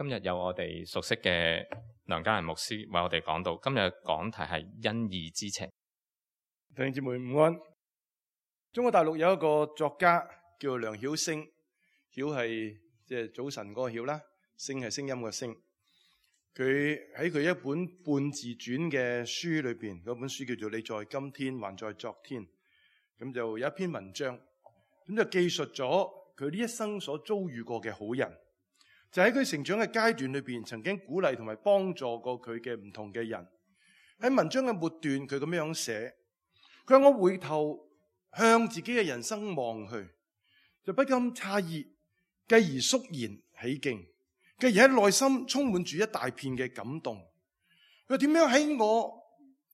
今日有我哋熟悉嘅梁家仁牧師為我哋講道。今日講題係因義之情。弟兄姊妹午安。中國大陸有一個作家叫梁曉聲，曉係即係早晨嗰個曉啦，聲係聲音個聲。佢喺佢一本半自傳嘅書裏邊，嗰本書叫做《你在今天還在昨天》，咁就有一篇文章，咁就記述咗佢呢一生所遭遇過嘅好人，就喺佢成長嘅階段裏邊，曾經鼓勵同埋幫助過佢嘅唔同嘅人。喺文章嘅末段，佢咁樣寫，佢話：我回頭向自己嘅人生望去，就不禁詫異，繼而肅然起敬，繼而喺內心充滿住一大片嘅感動。佢話：點樣喺我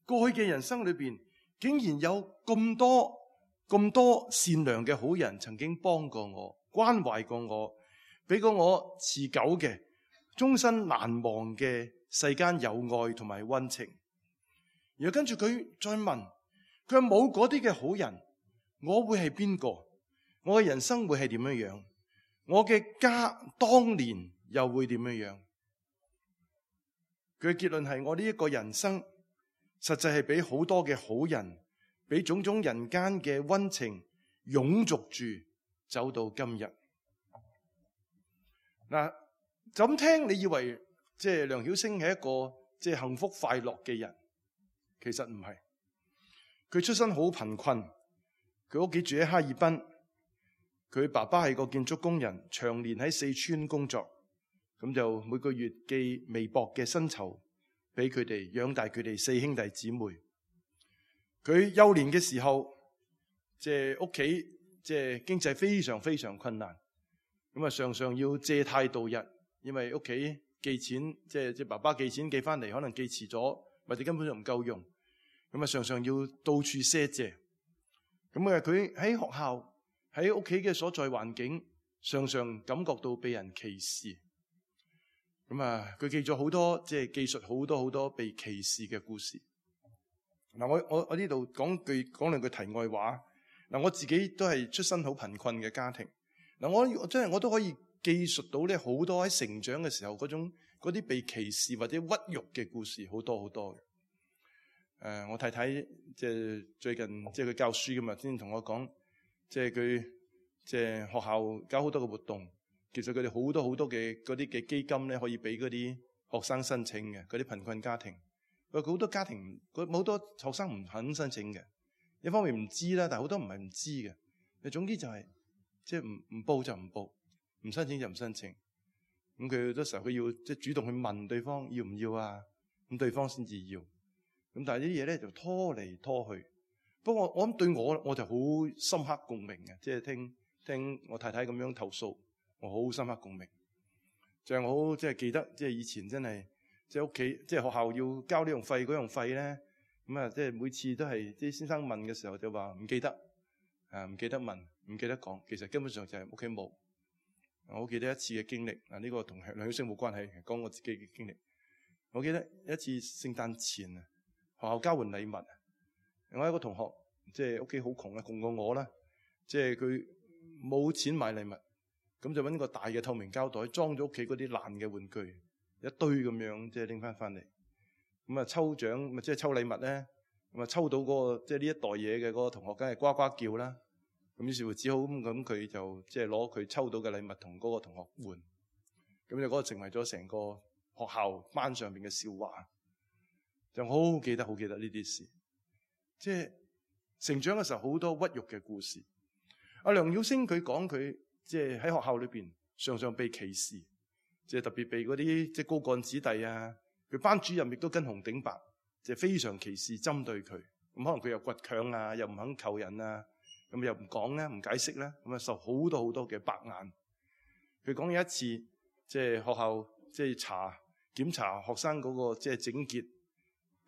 過去嘅人生裏邊，竟然有咁多善良嘅好人曾經幫過我、關懷過我，俾過我持久嘅、終身難忘嘅世間友愛同埋溫情。然後跟住佢再問，佢話：冇嗰啲嘅好人，我會係邊個？我嘅人生會係點樣樣？我嘅家當年又會點樣樣？佢嘅結論係：我呢一個人生實際係俾好多嘅好人，俾種種人間嘅溫情擁簇住走到今日。嗱，就咁聽，你以為即係梁曉聲係一個即係幸福快樂嘅人，其實唔係。佢出身好貧困，佢屋企住喺哈爾濱，佢爸爸係個建築工人，長年喺四川工作，咁就每個月寄微薄嘅薪酬俾佢哋，養大佢哋四兄弟姊妹。佢幼年嘅時候，即係屋企即係經濟非常非常困難，咁啊常常要借貸度日，因為屋企寄錢，即係爸爸寄錢寄翻嚟，可能寄遲咗，或者根本就唔夠用。咁啊，常常要到處賒借。咁啊，佢喺學校、喺屋企嘅所在環境，常常感覺到被人歧視。咁啊，佢記咗好多，即係記述好多被歧視嘅故事。嗱，我呢度講兩句題外話。嗱，我自己都係出身好貧困嘅家庭。嗱，我都可以記述到咧好多喺成長嘅時候嗰啲被歧視或者屈辱嘅故事，好多嘅。我太太即係最近即係佢教書㗎嘛，先同我講，即係佢即係學校搞好多嘅活動，其實佢哋好多嘅嗰啲嘅基金咧，可以俾嗰啲學生申請嘅，嗰啲貧困家庭。佢好多家庭，好多學生唔肯申請嘅，一方面唔知啦，但係好多唔係唔知嘅。總之就係即係唔報就唔報，唔申請就唔申請。咁佢好多時候佢要即係主動去問對方要唔要啊，咁對方先至要。咁但係呢啲嘢咧就拖嚟拖去。不過我諗對我就好深刻共鳴嘅，即係聽我太太咁樣投訴，我好深刻共鳴。就係我好即係記得，即係以前真係即係屋企即係學校要交呢樣費嗰樣費咧，咁啊即係每次都係啲先生問嘅時候就話唔記得，唔記得問，唔記得講，其實根本上就係屋企冇。我好記得一次嘅經歷，呢個同梁曉聲冇關係，講我自己嘅經歷。我記得一次聖誕前啊，學校交換禮物，我有一個同學即係屋企好窮啊，窮過我啦，即係佢冇錢買禮物，咁就揾個大嘅透明膠袋裝咗屋企嗰啲爛嘅玩具，一堆咁樣即係拎翻嚟，咁啊抽獎咪即係抽禮物咧，咁啊抽到嗰個即係呢一袋嘢嘅嗰個同學，梗係呱呱叫啦，咁於是乎只好咁佢就即係攞佢抽到嘅禮物同嗰個同學換，咁就嗰個成為咗成個學校班上邊嘅笑話。就好記得呢啲事，即係成長嘅時候好多屈辱嘅故事。阿梁曉聲佢講佢即係喺學校裏邊常常被歧視，即係特別被嗰啲即係高幹子弟啊，佢班主任亦都跟紅頂白，即係非常歧視針對佢。咁可能佢又倔強啊，又唔肯求人啊，咁又唔講咧，唔解釋咧，咁啊受好多嘅白眼。佢講有一次即係學校即係檢查學生嗰個即係整潔。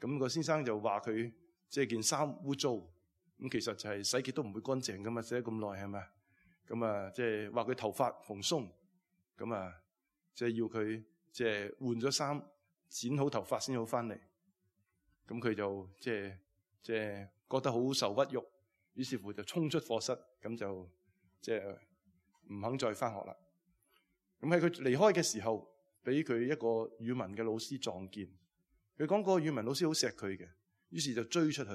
咁個先生就話佢即係件衫污糟，咁其實就係洗潔都唔會乾淨噶嘛，洗咗咁耐係咪？咁啊，即係話佢頭髮蓬鬆，咁啊，即係要佢即係換咗衫，剪好頭髮先好翻嚟。咁佢就即係覺得好受屈辱，於是乎就衝出課室，咁就即係唔肯再翻學啦。咁喺佢離開嘅時候，俾佢一個語文嘅老師撞見。佢講嗰個語文老師好錫佢嘅，於是就追出去，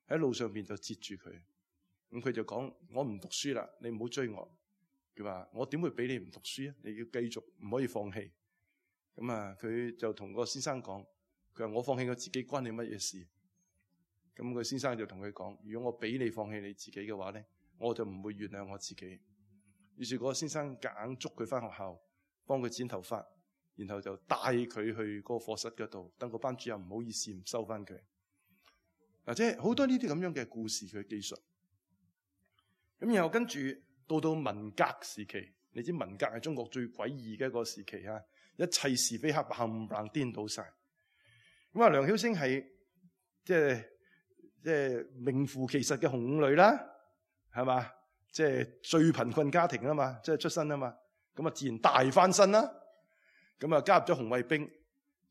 喺路上邊就截住佢。咁佢就講：我唔讀書啦，你唔好追我。佢話：我點會俾你唔讀書啊？你要繼續，唔可以放棄。咁啊，佢就同個先生講：佢話我放棄我自己關你乜嘢事？咁個先生就同佢講：如果我俾你放棄你自己嘅話咧，我就唔會原諒我自己。於是嗰個先生夾硬捉佢翻學校，幫佢剪頭髮，然後就帶佢去嗰個課室嗰度，等個班主任唔好意思唔收翻佢。即係好多呢啲咁樣嘅故事佢記述。咁然後跟住到文革時期，你知文革係中國最詭異嘅一個時期啊！一切是非黑白冚唪唥顛倒晒。咁啊，梁曉聲係即係名副其實嘅紅五女啦，係嘛？即係最貧困家庭啊嘛，即係出身啊嘛，咁啊自然大翻身啦。咁啊加入咗紅衛兵，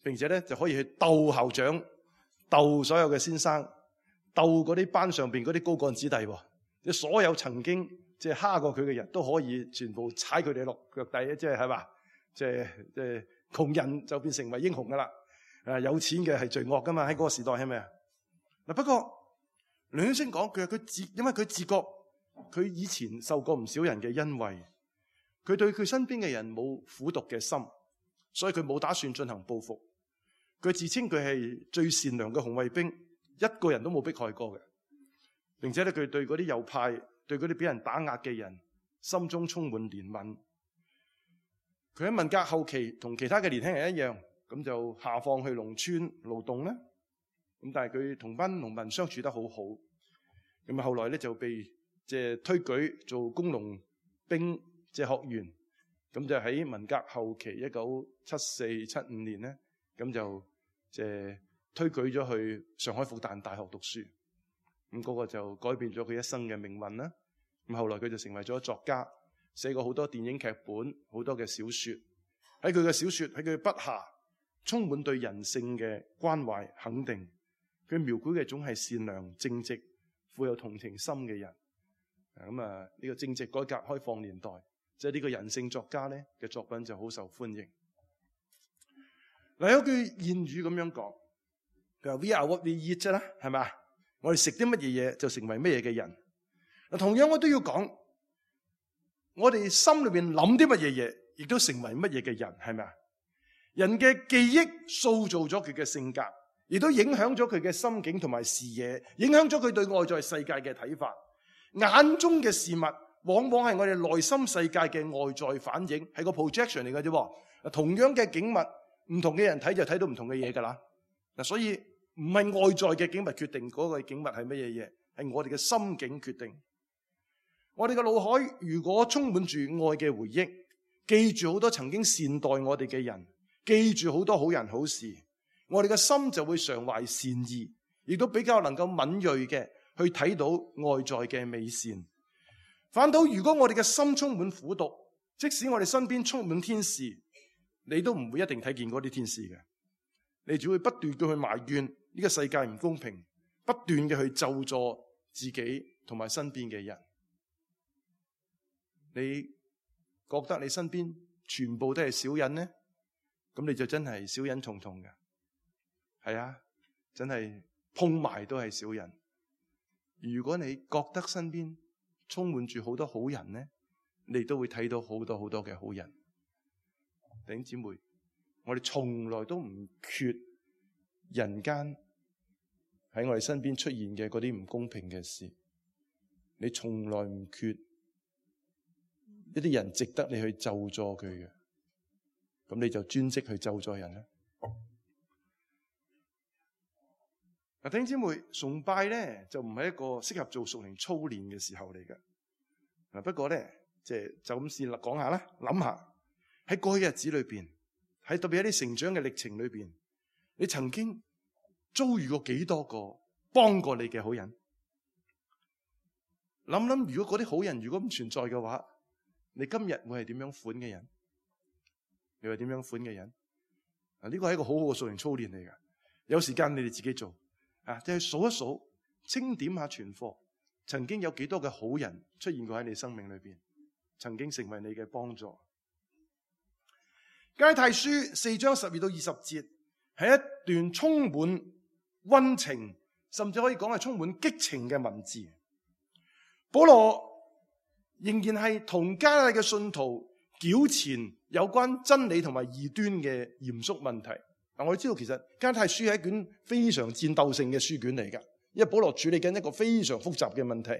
並且咧就可以去鬥校長、鬥所有嘅先生、鬥嗰啲班上邊嗰啲高幹子弟。即係所有曾經即係蝦過佢嘅人都可以全部踩佢哋落腳底，即係嘛？即係窮人就變成為英雄噶啦。有錢嘅係罪惡噶嘛？喺嗰個時代係咪啊？嗱，不過梁曉聲講因為佢自覺佢以前受過唔少人嘅恩惠，佢對佢身邊嘅人冇苦毒嘅心，所以佢冇打算進行報復。佢自稱佢係最善良嘅紅衛兵，一個人都冇迫害過嘅。並且咧，佢對嗰啲右派、對嗰啲俾人打壓嘅人，心中充滿憐憫。佢喺文革後期同其他嘅年輕人一樣，咁就下放去農村勞動啦。咁但係佢同班農民相處得好好。咁啊，後來咧就被推舉做工農兵學員。咁就喺文革後期1974、75年咧，咁就推舉咗去上海復旦大學讀書。咁嗰個就改變咗佢一生嘅命運啦。咁後來佢就成為咗作家，寫過好多電影劇本，好多嘅小說。喺佢嘅小說，喺佢嘅筆下，充滿對人性嘅關懷肯定。佢描繪嘅總係善良正直、富有同情心嘅人。咁啊，呢個正值改革開放年代，即係呢個人性作家咧嘅作品就好受歡迎。嗱，有句諺語咁樣講，佢話 We are what we eat 啫啦，係咪？我哋食啲乜嘢嘢就成為乜嘢嘅人。同樣我都要講，我哋心裏邊諗啲乜嘢嘢，亦都成為乜嘢嘅人，係咪啊？人嘅記憶塑造咗佢嘅性格，亦都影響咗佢嘅心境同埋視野，影響咗佢對外在世界嘅睇法。眼中嘅事物，往往係我哋內心世界嘅外在反應，係個 projection 嚟嘅啫。同樣嘅景物，唔同嘅人睇就睇到唔同嘅嘢噶啦。所以唔係外在嘅景物決定嗰個景物係乜嘢嘢，係我哋嘅心境決定。我哋嘅腦海如果充滿住愛嘅回憶，記住好多曾經善待我哋嘅人，記住好多好人好事，我哋嘅心就會常懷善意，亦都比較能夠敏銳嘅去睇到外在嘅美善。反倒如果我哋嘅心充滿苦毒，即使我哋身邊充滿天使，你都唔會一定睇見嗰啲天使嘅，你只會不斷嘅去埋怨呢個世界唔公平，不斷嘅去咒詛自己同埋身邊嘅人。你覺得你身邊全部都係小人呢？咁你就真係小人重重嘅。係啊，真係碰埋都係小人。如果你覺得身邊充滿住好多好人呢，你都會睇到好多好多嘅好人。弟兄姊妹，我哋從來都唔缺人間喺我哋身邊出現嘅嗰啲唔公平嘅事。你從來唔缺一啲人值得你去咒詛佢嘅，咁你就專職去咒詛人啦。弟兄姊妹，崇拜咧就唔係一個適合做屬靈操練嘅時候嚟嘅。不過咧，就咁先講下啦，諗下喺過去日子裏邊，喺特別喺啲成長嘅歷程裏邊，你曾經遭遇過幾多個幫過你嘅好人？諗諗，如果嗰啲好人如果唔存在嘅話，你今日會係點樣款嘅人？你係點樣款嘅人？呢個係一個好好嘅屬靈操練嚟㗎。有時間你哋自己做就去數一數，清點下存貨，曾經有幾多嘅好人出現過喺你生命裏邊，曾經成為你嘅幫助。加拉太書4章12到20節係一段充滿溫情，甚至可以講係充滿激情嘅文字。保羅仍然係同加拉太嘅信徒糾纏有關真理同埋異端嘅嚴肅問題。嗱，我哋知道其實加拉太書係一卷非常戰鬥性嘅書卷嚟㗎，因為保羅處理緊一個非常複雜嘅問題。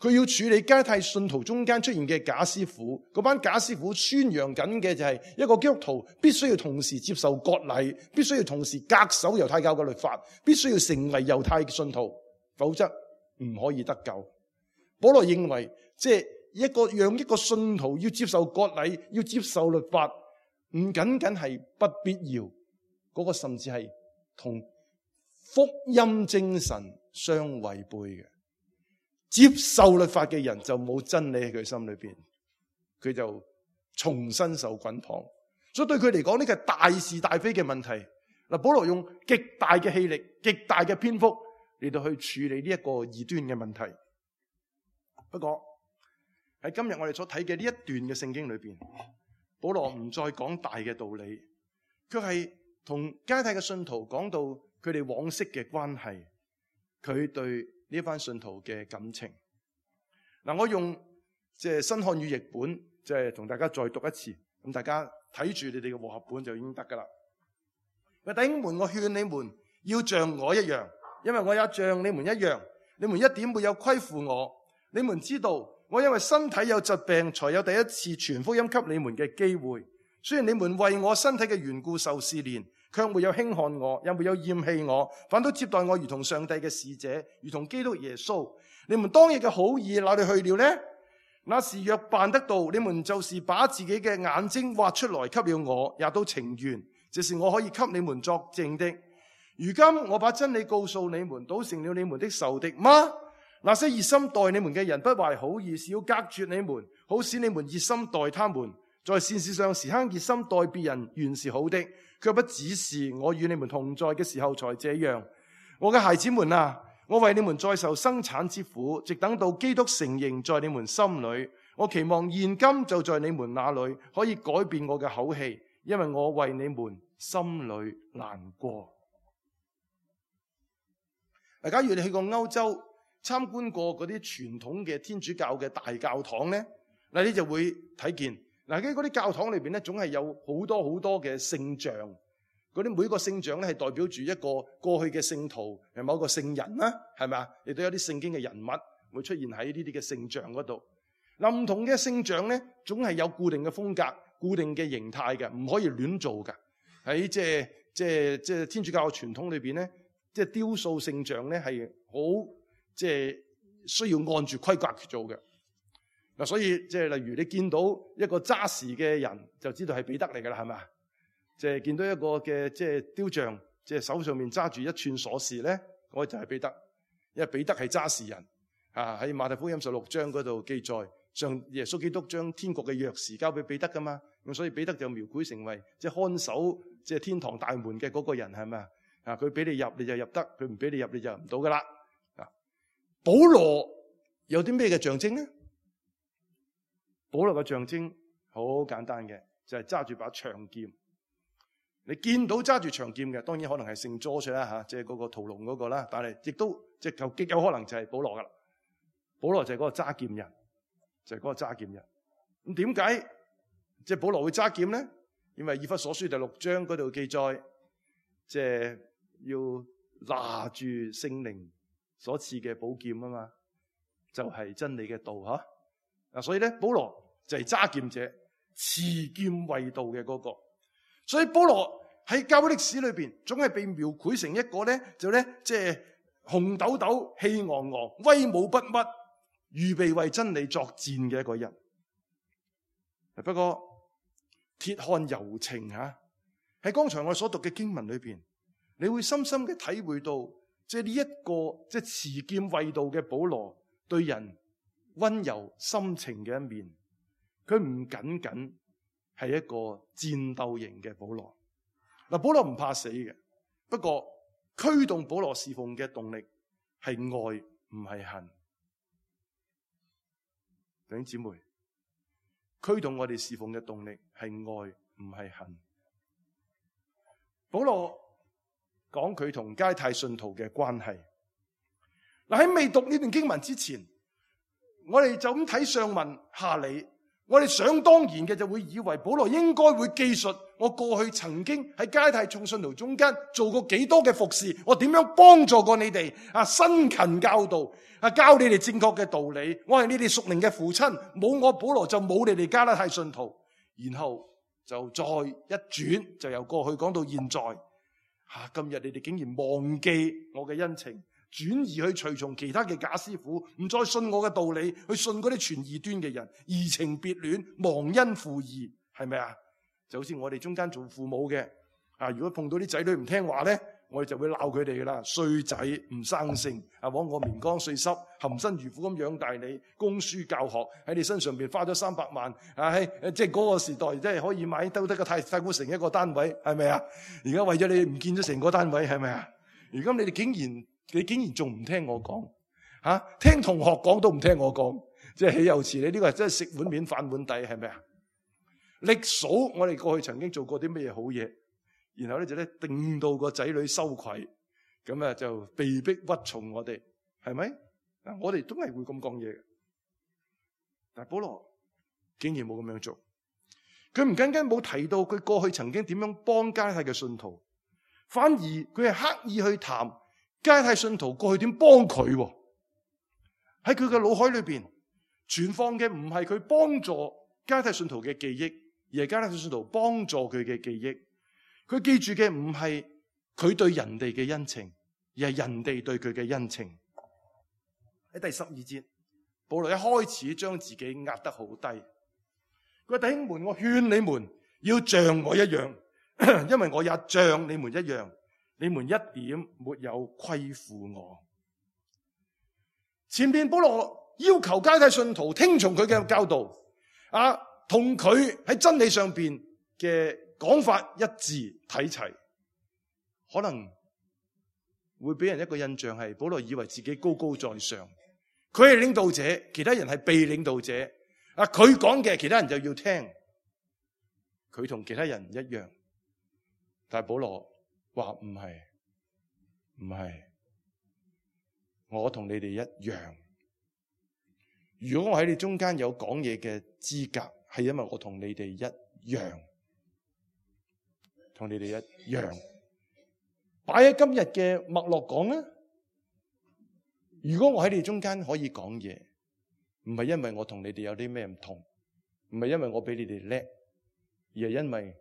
佢要處理加拉太信徒中間出現嘅假師傅，嗰班假師傅宣揚緊嘅就係一個基督徒必須要同時接受割禮，必須要同時恪守猶太教嘅律法，必須要成為猶太信徒，否則唔可以得救。保羅認為，即係讓一個信徒要接受割禮，要接受律法，唔僅僅係不必要，嗰個甚至係同福音精神相違背嘅。接受律法嘅人就冇真理喺佢心裏邊，佢就重新受捆綁。所以對佢嚟講，呢個係大是大非嘅問題。嗱，保羅用極大嘅氣力、極大嘅篇幅嚟到去處理呢一個異端嘅問題。不過喺今日我哋所睇嘅呢一段嘅聖經裏邊，保羅唔再講大嘅道理，佢係同加拉太嘅信徒講到佢哋往昔嘅關係，佢對呢班信徒嘅感情。嗱，我用即係新漢語譯本，即係同大家再讀一次，咁大家睇住你哋嘅和合本就已經得噶啦。弟兄們，我勸你們要像我一樣，因為我也像你們一樣，你們一點沒有虧負我。你們知道，我因為身體有疾病，才有第一次傳福音給你們嘅機會。雖然你們為我身體嘅緣故受試煉，卻沒有輕看我，也沒有厭棄我，反都接待我如同上帝嘅使者，如同基督耶穌。你們當日嘅好意哪裏去了呢？那時若辦得到，你們就是把自己嘅眼睛挖出來給了我，也都情願，這是我可以給你們作證的。如今我把真理告訴你們，倒成了你們的仇敵嗎？那些熱心待你們嘅人不懷好意，是要隔絕你們，好使你們熱心待他們。在善事上時刻熱心待別人原是好的，卻不只是我與你們同在嘅時候才這樣。我嘅孩子們啊，我為你們再受生產之苦，直等到基督成形在你們心裏。我期望現今就在你們那裏可以改變我嘅口氣，因為我為你們心裏難過。假如你去過歐洲參觀過嗰啲傳統嘅天主教嘅大教堂呢，嗱，你就會睇見嗱，嗰啲教堂裏邊咧，總係有好多好多嘅聖像。嗰啲每個聖像咧係代表住一個過去嘅聖徒，係某個聖人啦，係咪啊？亦都有啲聖經嘅人物會出現喺呢啲嘅聖像嗰度。嗱，唔同嘅聖像咧，總係有固定嘅風格、固定嘅形態嘅，唔可以亂做㗎。喺即係天主教嘅傳統裏邊咧，即係雕塑聖像咧係好即係需要按住規格去做嘅。嗱，所以即係例如你見到一個揸匙嘅人，就知道係彼得嚟噶啦，係咪？即係見到一個嘅即係雕像，即係手上面揸住一串鎖匙咧，嗰就係彼得，因為彼得係揸匙人啊。喺馬太福音16章嗰度記載，上耶穌基督將天國嘅鑰匙交俾彼得噶嘛，咁所以彼得就描繪成為即係看守即係天堂大門嘅嗰個人，係咪啊？佢俾你入你就入得，佢唔俾你入你就入唔到噶啦。啊，保羅有啲咩嘅象徵咧？保羅嘅象徵好簡單嘅，就係揸住把長劍。你見到揸住長劍嘅，當然可能係聖 George 啦吓，即係嗰個屠龍嗰個啦。但係亦都即係極有可能就係保羅噶啦。保羅就係嗰個揸劍人，就係嗰個揸劍人。咁點解即係保羅會揸劍咧？因為以弗所書第6章嗰度記載，即係要拿住聖靈所賜嘅寶劍啊嘛，就係真理嘅道吓。嗱，所以咧，保羅就係揸劍者，持劍為道嘅嗰個。所以保羅喺教會歷史裏邊，總係被描繪成一個咧，就咧即係紅豆豆、氣昂昂、威武不屈、預備為真理作戰嘅一個人。不過鐵漢柔情吓，喺剛才我所讀嘅經文裏邊，你會深深嘅體會到，即係呢一個即係持劍為道嘅保羅對人溫柔深情嘅一面。佢唔僅僅係一個戰鬥型嘅保羅。嗱，保羅唔怕死嘅，不過驅動保羅侍奉嘅動力係愛，唔係恨。弟兄姊妹，驅動我哋侍奉嘅動力係愛，唔係恨。保羅講佢同加拉太信徒嘅關係。嗱，喺未讀呢段經文之前，我哋就咁睇上文下理，我哋想當然嘅就會以為保羅應該會記述我過去曾經喺加拉太眾信徒中間做過幾多嘅服侍，我點樣幫助過你哋辛勤教導教你哋正確嘅道理，我係你哋屬靈嘅父親，冇我保羅就冇你哋加拉太信徒。然後就再一轉，就由過去講到現在。今日你哋竟然忘記我嘅恩情，轉移去隨從其他嘅假師傅，唔再信我嘅道理，去信嗰啲傳異端嘅人，移情別戀，忘恩負義，係咪啊？就好似我哋中間做父母嘅，如果碰到啲仔女唔聽話咧，我哋就會鬧佢哋噶啦，衰仔唔生性，枉我棉乾碎濕，含辛茹苦咁養大你，供書教學喺你身上邊花咗300萬，即係嗰個時代，即係可以買得個太古城一個單位，係咪啊？而家為咗你唔見咗成個單位，係咪啊？而家你哋竟然仲唔聽我講，聽同學講都唔聽我講，即係豈有此理？你呢個係真係食碗面反碗底，係咪啊？歷數我哋過去曾經做過啲咩嘢好嘢，然後咧就定到個仔女羞愧，咁就被逼屈從我哋，係咪？我哋都係會咁講嘢嘅，但係保羅竟然冇咁樣做，佢唔僅僅冇提到佢過去曾經點樣幫加拉太嘅信徒，反而佢係刻意去談加拉太信徒過去點幫佢。喺佢嘅腦海裏邊存放嘅唔係佢幫助加拉太信徒嘅記憶，而係加拉太信徒幫助佢嘅記憶。佢記住嘅唔係佢對人哋嘅恩情，而係人哋對佢嘅恩情。喺第12節，保羅一開始將自己壓得好低。佢話：弟兄們，我勸你們要像我一樣，因為我也像你們一樣，你們一點沒有虧負我。前面保羅要求加拉太信徒聽從佢嘅教導，同佢喺真理上邊嘅講法一致睇齊，可能會俾人一個印象係保羅以為自己高高在上，佢係領導者，其他人係被領導者。佢講嘅其他人就要聽，佢同其他人唔一樣。但係保羅話唔係，我同你哋一樣。如果我喺你中間有講嘢嘅資格，係因為我同你哋一樣。同你哋一樣，擺喺今日嘅脈絡講啦。如果我喺你哋中間可以講嘢，唔係因為我同你哋有啲咩唔同，唔係因為我比你哋叻，而係因為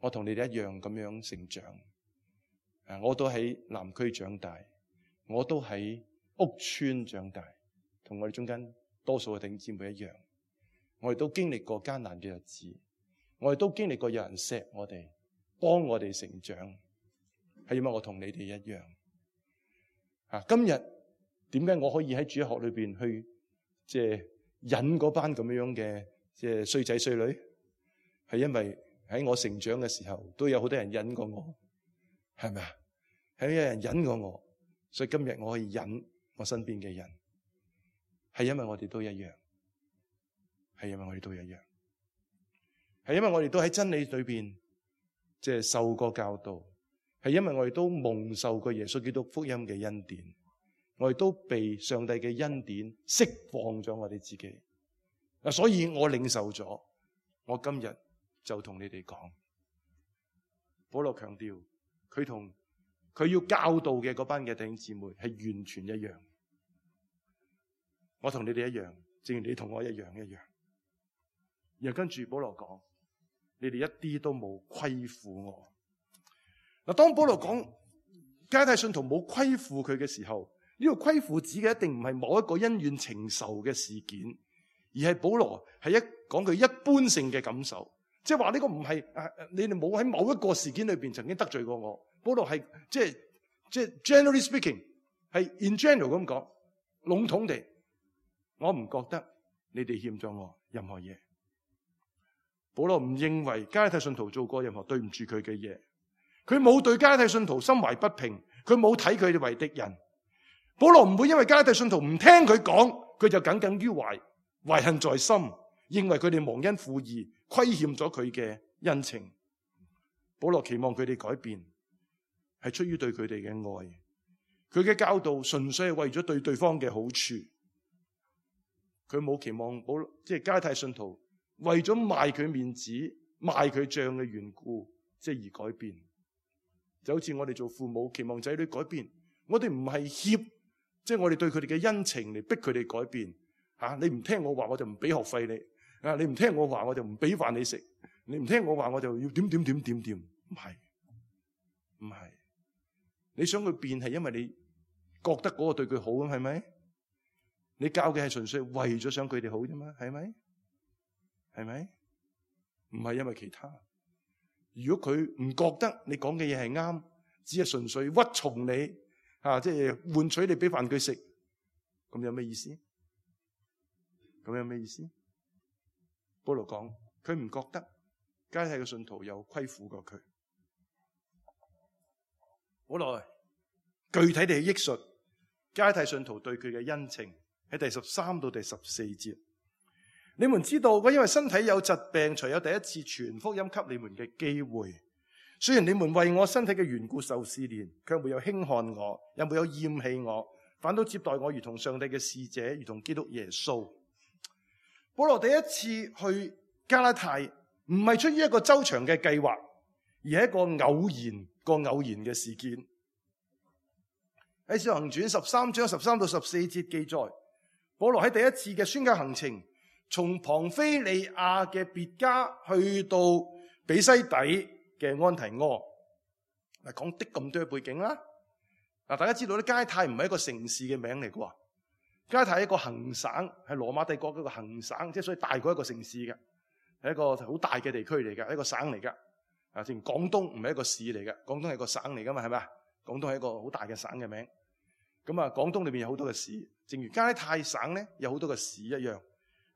我同你哋一樣咁樣成長。我都喺南區長大，我都喺屋村長大，同我哋中間多數嘅弟兄姊妹一樣。我哋都經歷過艱難嘅日子，我哋都經歷過有人錫我哋，幫我哋成長，係因為我同你哋一樣。今日點解我可以喺主日學裏邊去即係引嗰班咁樣嘅即係衰仔衰女？係因為喺我成長嘅時候都有好多人引過我，係咪啊？係有人引過我，所以今日我可以引我身邊嘅人，係因為我哋都一樣，係因為我哋都一樣，係因為我哋都喺真理裏邊即係受過教導，係因為我哋都蒙受過耶穌基督福音嘅恩典，我哋都被上帝嘅恩典釋放咗我哋自己。所以我領受咗，我今日就同你哋講。保羅強調佢同佢要教導嘅嗰班嘅弟兄姊妹係完全一樣。我同你哋一樣，正如你同我一樣。然後跟住保羅講，你哋一啲都冇虧負我。嗱，當保羅講加拉太信徒冇虧負佢嘅時候，呢個虧負指嘅一定唔係某一個恩怨情仇嘅事件，而係保羅係講佢一般性嘅感受，即係話呢個唔係你哋冇喺某一個事件裏邊曾經得罪過我。保羅係即係 generally speaking 係 in general 咁講，籠統地，我唔覺得你哋欠咗我任何嘢。保羅唔認為加拉太信徒做過任何對唔住佢嘅嘢，佢冇對加拉太信徒心懷不平，佢冇睇佢哋為敵人。保羅唔會因為加拉太信徒唔聽佢講，佢就耿耿於懷，懷恨在心，認為佢哋忘恩負義，虧欠咗佢嘅恩情。保羅期望佢哋改變，係出於對佢哋嘅愛。佢嘅教導純粹係為咗對對方嘅好處，佢冇期望即係加拉太信徒為咗賣佢面子、賣佢賬嘅緣故，即係而改變。就好似我哋做父母期望仔女改變，我哋唔係脅，即係我哋對佢哋嘅恩情嚟逼佢哋改變。你唔聽我話，我就唔俾學費你。你唔聽我話，我就唔俾飯你食。你唔聽我話，我就要點。唔係。你想佢變係因為你覺得嗰個對佢好咁，係咪？你教嘅係純粹為咗想佢哋好啫嘛，係咪？唔係因為其他。如果佢唔覺得你講嘅嘢係啱，只係純粹屈從你，即係換取你俾飯佢食，咁有咩意思？保羅講，佢唔覺得加拉太嘅信徒有虧負過佢。好耐，具體地憶述加拉太信徒對佢嘅恩情，喺第13到第14節。你們知道，我因為身體有疾病，才有第一次傳福音給你們嘅機會。雖然你們為我身體嘅緣故受試煉，卻沒有輕看我，也沒有厭棄我，反倒接待我如同上帝嘅使者，如同基督耶穌。保羅第一次去加拉太，唔係出於一個周長嘅計劃，而係一個偶然嘅事件。喺《使徒行傳》13章13到14節記載，保羅喺第一次嘅宣教行程，從龐菲利亞嘅別家去到比西底嘅安提阿。嗱，講的咁多背景啦。嗱，大家知道咧，加拉太唔係一個城市嘅名嚟嘅。加拉太係一個行省，係羅馬帝國嗰個行省，即係所以大過一個城市嘅，係一個好大嘅地區嚟嘅，一個省嚟嘅。正如廣東唔係一個市嚟嘅，廣東係個省嚟噶嘛，係咪啊？廣東係一個好大嘅省嘅名。咁啊，廣東裏邊有好多嘅市，正如加拉太省咧有好多嘅市一樣。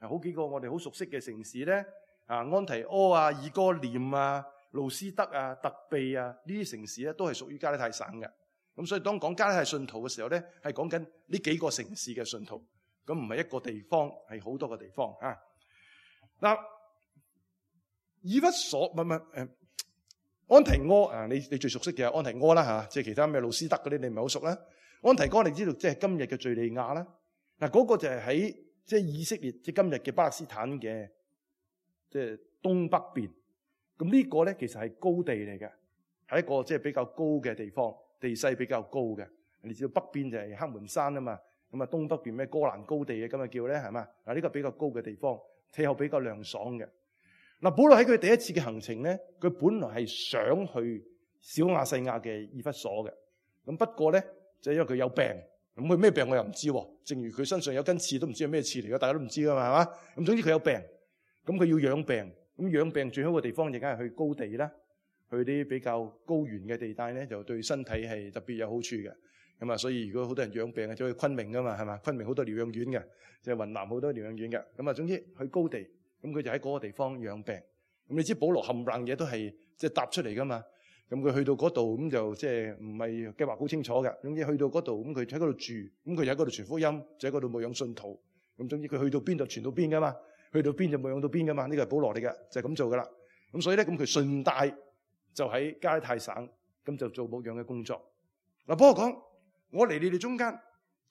好幾個我哋好熟悉嘅城市咧，安提阿啊、以哥念啊、路斯德啊、特庇啊，呢啲城市咧都係屬於加拉太省嘅。咁所以當講加拉太信徒嘅時候咧，係講緊呢幾個城市嘅信徒，咁唔係一個地方，係好多個地方啊。嗱，以弗所安提阿啊，你最熟悉嘅係安提阿啦，即係其他咩路斯德嗰啲你唔係好熟啦。安提阿你知道即係今日嘅敘利亞啦。嗱，嗰個就係喺即係以色列即係今日嘅巴勒斯坦嘅即係東北邊。咁呢個咧其實係高地嚟嘅，係一個即係比較高嘅地方。地勢比較高嘅，你知道北邊就係黑門山啊嘛，咁啊東北邊咩哥蘭高地嘅咁啊叫咧係嘛？嗱，呢個比較高嘅地方，氣候比較涼爽嘅。嗱，保羅喺佢第一次嘅行程咧，佢本來係想去小亞細亞嘅以弗所嘅，咁不過咧就因為佢有病，咁佢咩病我又唔知，正如佢身上有根刺都唔知係咩刺嚟嘅，大家都唔知噶嘛係嘛？咁總之佢有病，咁佢要養病，咁養病最好嘅地方就梗係去高地啦。去啲比較高原嘅地帶咧，就對身體係特別有好處嘅。咁啊，所以如果好多人養病啊，就去昆明噶嘛，係嘛？昆明好多療養院嘅，就係雲南好多療養院嘅。咁啊，總之去高地，咁佢就喺嗰個地方養病。咁你知保羅冚唪唥嘢都係即係搭出嚟噶嘛？咁佢去到嗰度，咁就即係唔係計劃好清楚嘅。總之去到嗰度，咁佢喺嗰度住，咁佢就喺嗰度傳福音，就喺嗰度牧養信徒。咁總之佢去到邊度傳到邊噶嘛？去到邊就牧養到邊噶嘛？呢個係保羅嚟嘅，就係咁做噶啦。咁所以咧，咁佢順帶就喺加拉太省，咁就做牧養嘅工作。嗱，不過講我嚟你哋中間，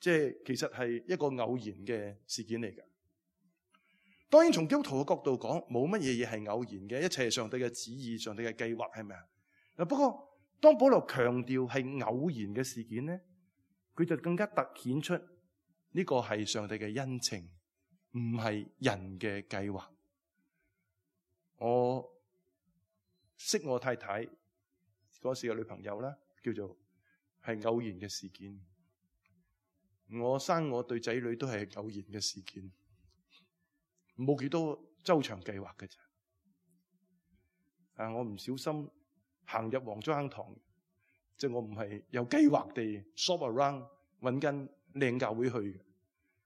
即係其實係一個偶然嘅事件嚟嘅。當然從基督徒嘅角度講，冇乜嘢嘢係偶然嘅，一切係上帝嘅旨意、上帝嘅計劃，係咪啊？嗱，不過當保羅強調係偶然嘅事件咧，佢就更加凸顯出呢個係上帝嘅恩情，唔係人嘅計劃。我識我太太嗰時嘅女朋友啦，叫做係偶然嘅事件。我生我對仔女都係偶然嘅事件，冇幾多周詳計劃嘅啫。我唔小心行入黃竹坑堂，即係我唔係有計劃地 shop around 揾間靚教會去嘅。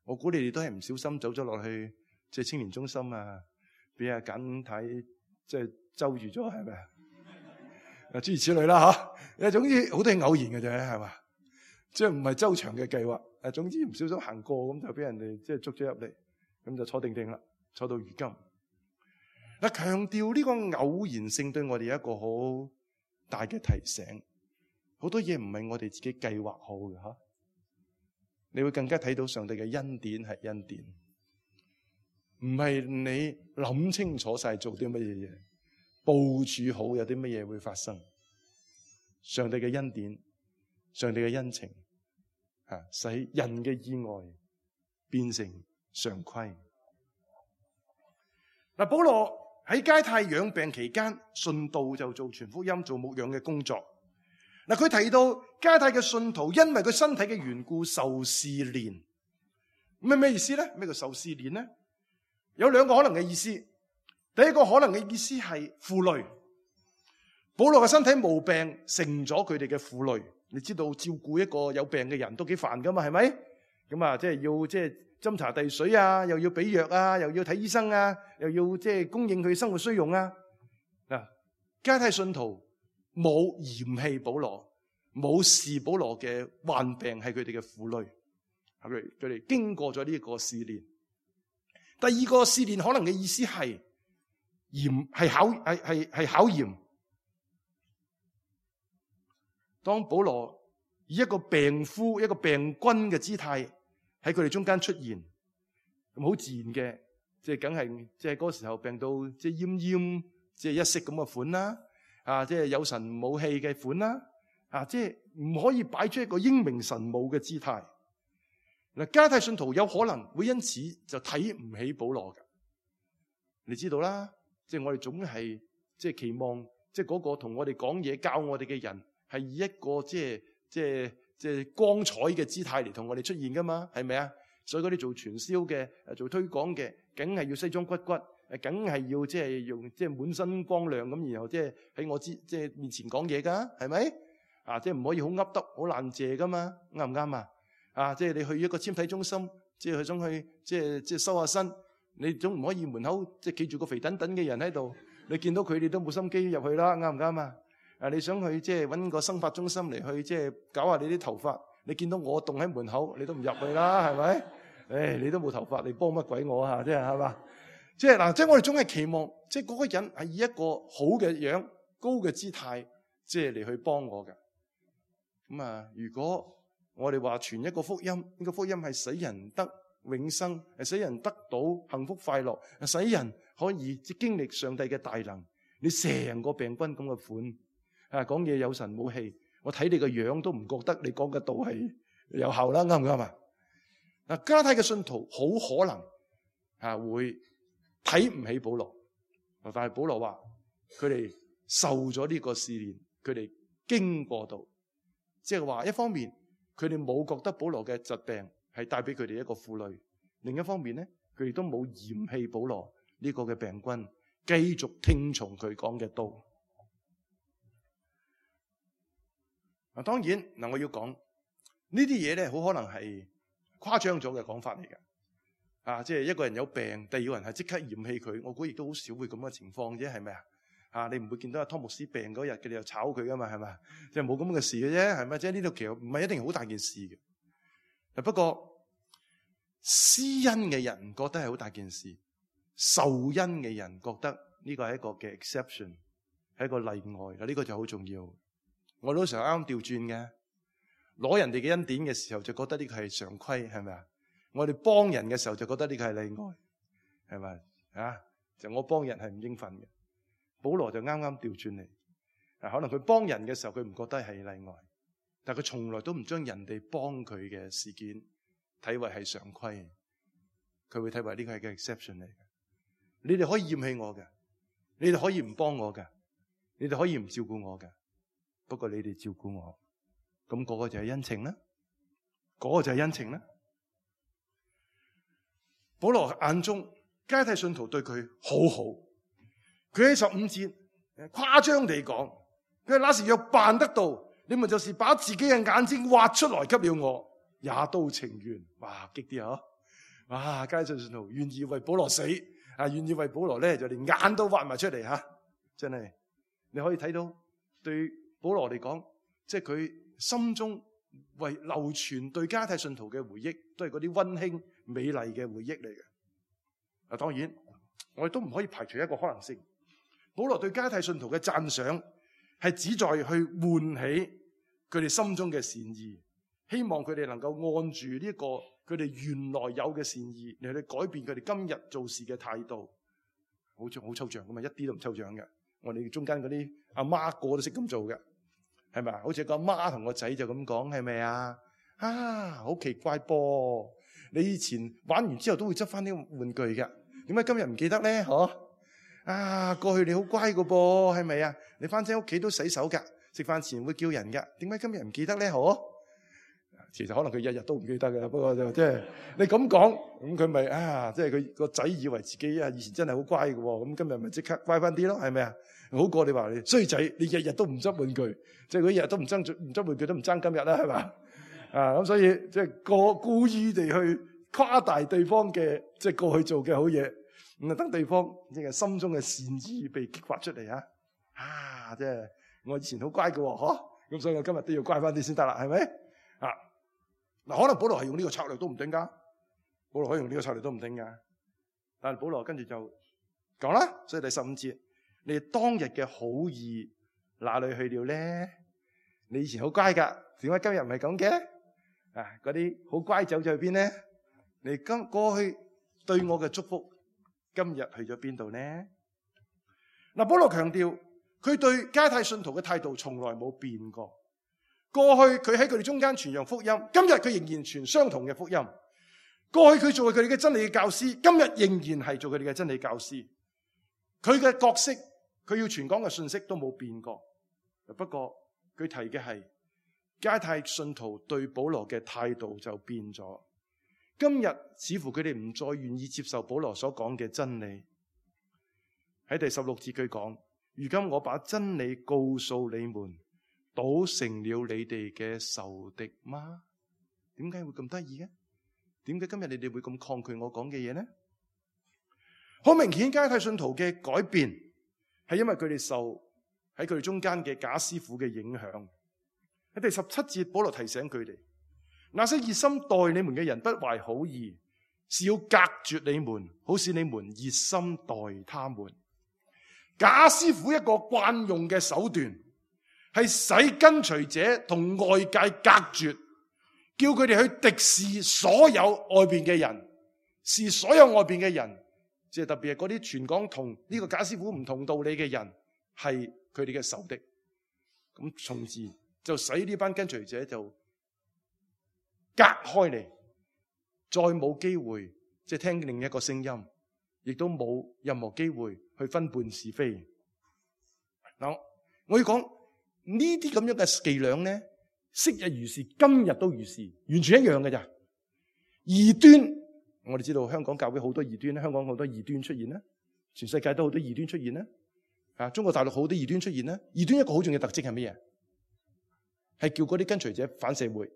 我估你哋都係唔小心走咗落去，即係青年中心啊，俾阿簡太即係周住咗，係咪啊？諸如此類啦嚇。總之好多係偶然嘅啫，係嘛？即係唔係周長嘅計劃。總之唔小心行過咁就俾人哋即係捉咗入嚟，咁就坐定定啦，坐到如今。嗱，強調呢個偶然性對我哋有一個好大嘅提醒。好多嘢唔係我哋自己計劃好嘅吓，你會更加睇到上帝嘅恩典係恩典，唔係你諗清楚晒做啲乜嘢嘢，部署好有啲乜嘢會發生。上帝嘅恩典，上帝嘅恩情，使人嘅意外變成常規。嗱，保羅喺加太養病期間，順道就做傳福音、做牧養嘅工作。嗱，佢提到加太嘅信徒因為佢身體嘅緣故受試煉，咁係咩意思咧？咩叫受試煉咧？有兩個可能嘅意思。第一個可能嘅意思係負累，保羅嘅身體毛病成咗佢哋嘅負累。你知道照顧一個有病嘅人都幾煩噶嘛，係咪？咁啊，即係要即係斟茶遞水啊，又要俾藥啊，又要睇醫生啊，又要即係供應佢生活需用啊。嗱，加太信徒冇嫌棄保羅，冇視保羅嘅患病係佢哋嘅負累，佢哋經過咗呢個試煉。第二個試煉可能嘅意思係嚴，係考驗。當保羅以一個病夫、一個病君嘅姿態喺佢哋中間出現，咁好自然嘅，即係梗係即係嗰個時候病到即係奄奄，即係一息咁嘅款啦，即係有神冇氣嘅款啦，即係唔可以擺出一個英明神武嘅姿態。嗱，加太信徒有可能會因此就睇唔起保羅嘅，你知道啦，即係我哋總係即係期望，即係嗰個同我哋講嘢、教我哋嘅人係以一個即係光彩嘅姿態嚟同我哋出現噶嘛，係咪啊？所以嗰啲做傳銷嘅、做推廣嘅，梗係要西裝骨骨，梗係要即係用即係滿身光亮咁，然後即係喺我即係面前講嘢噶，係咪？即係唔可以好噏得、好爛謝噶嘛，啱唔啱啊？即係你去一個纖體中心，即係佢想去即係收下身，你總唔可以門口即係企住個肥等等嘅人喺度，你見到佢哋都冇心機入去啦，啱唔啱啊？你想去即係揾個生髮中心嚟去即係搞下你啲頭髮，你見到我棟喺門口，你都唔入去啦，係咪？你都冇頭髮，你幫乜鬼我啊？即係係嘛？即係嗱，即係我哋總係期望，即係嗰個人係以一個好嘅樣、高嘅姿態，即係嚟去幫我嘅。咁如果我哋話傳一個福音，呢個福音係使人得永生，係使人得到幸福快樂，係使人可以經歷上帝嘅大能。你成個病君咁嘅款。講嘢有神冇氣，我睇你個樣都唔覺得你講嘅道係有效啦，啱唔啱啊？嗱，加太嘅信徒好可能會睇唔起保羅，但係保羅話佢哋受咗呢個試煉，佢哋經過到，即係話一方面佢哋冇覺得保羅嘅疾病係帶俾佢哋一個負累，另一方面咧佢哋都冇嫌棄保羅呢個嘅病君，繼續聽從佢講嘅道。當然嗱，我要講呢啲嘢咧，好可能係誇張咗嘅講法嚟嘅。即係一個人有病，第二個人係即刻嫌棄佢，我估亦都好少會咁嘅情況啫，係咪啊？你唔會見到阿湯牧師病嗰日，佢哋又炒佢噶嘛，係咪？即係冇咁嘅事嘅啫，係咪？即係呢度其實唔係一定好大件事嘅。不過施恩嘅人覺得係好大件事，受恩嘅人覺得呢個係一個嘅 exception， 係一個例外啦。呢個就好重要。我都成日啱調轉嘅，攞人哋嘅恩典嘅時候就覺得呢個係常規，係咪啊？我哋幫人嘅時候就覺得呢個係例外，係咪？就我幫人係唔應份嘅。保羅就啱啱調轉嚟，可能佢幫人嘅時候佢唔覺得係例外，但係佢從來都唔將人哋幫佢嘅事件睇為係常規，佢會睇為呢個係個 exception 嚟嘅。你哋可以嫌棄我嘅，你哋可以唔幫我嘅，你哋可以唔照顧我嘅。不過你哋照顧我，咁嗰個就係恩情啦，嗰個就係恩情啦。保羅眼中加太信徒對佢好好，佢喺15節誇張地講，佢話那時若辦得到，你們就是把自己嘅眼睛挖出來給了我，也都情願。哇，激啲啊！哇，加太信徒願意為保羅死，願意為保羅咧就連眼都挖埋出嚟吓，真係你可以睇到對保羅嚟講，即係佢心中為流傳對加太信徒嘅回憶，都係嗰啲溫馨美麗嘅回憶嚟嘅。當然我哋都唔可以排除一個可能性。保羅對加拉太信徒嘅讚賞係旨在去喚起佢哋心中嘅善意，希望佢哋能夠按住呢個佢哋原來有嘅善意嚟去改變佢哋今日做事嘅態度。好抽象噶嘛，一啲都唔抽象嘅。我哋中間嗰啲阿媽個個都識咁做嘅，係咪啊？好似個阿媽同個仔就咁講，係咪啊？好奇怪噃！你以前玩完之後都會執翻啲玩具嘅，點解今日唔記得咧？過去你好乖個噃，係咪啊？你翻親屋企都洗手噶，食飯前會叫人噶，點解今日唔記得咧？其實可能佢日日都唔記得嘅，不過就即係你咁講，咁佢咪即係佢個仔以為自己以前真係好乖嘅，咁今日咪即刻乖翻啲咯，係咪啊？好過你話你衰仔，你日日都唔執玩具，即係佢日日都唔執玩具都唔爭今日啦，係嘛？咁所以即係故意地去誇大對方嘅即係過去做嘅好嘢，咁等對方即係心中嘅善意被激發出嚟即係我以前好乖嘅，咁所以我今日都要乖翻啲先得啦，係咪？可能保羅係用呢個策略都唔定噶，保羅可以用呢個策略都唔定噶。但係保羅跟住就講啦，所以第15節，你哋當日嘅好意哪裏去了呢？你以前好乖噶，點解今日唔係咁嘅？嗰啲好乖走咗去邊呢？你過去對我嘅祝福，今日去咗邊度呢？保羅強調佢對加拉太信徒嘅態度從來冇變過。過去佢喺佢哋中間傳揚福音，今日佢仍然傳相同嘅福音。過去佢做佢哋嘅真理嘅教師，今日仍然係做佢哋嘅真理教師。佢嘅角色，佢要傳講嘅信息都冇變過。不過佢提嘅係加拉太信徒對保羅嘅態度就變咗。今日似乎佢哋唔再願意接受保羅所講嘅真理。喺第16節佢講：如今我把真理告訴你們，倒成了你哋嘅仇敵嗎？點解會咁得意嘅？點解今日你哋會咁抗拒我講嘅嘢呢？好明顯，加拉太信徒嘅改變係因為佢哋受喺佢哋中間嘅假師傅嘅影響。喺第17節，保羅提醒佢哋：那些熱心待你們嘅人不懷好意，是要隔絕你們，好使你們熱心待他們。假師傅一個慣用嘅手段，係使跟隨者同外界隔絕，叫佢哋去敵視所有外邊嘅人，視所有外邊嘅人，即係特別係嗰啲傳講同呢個假師傅唔同道理嘅人，係佢哋嘅仇敵。咁從而就使呢班跟隨者就隔開嚟，再冇機會即係聽另一個聲音，亦都冇任何機會去分辨是非。嗱，我要講。呢啲咁樣嘅伎倆咧，昔日如是，今日都如是，完全一樣嘅咋。異端，我哋知道香港教會好多異端，香港好多異端出現啦，全世界都好多異端出現啦。中國大陸好多異端出現啦。異端一個好重要嘅特徵係咩嘢？係叫嗰啲跟隨者反社會。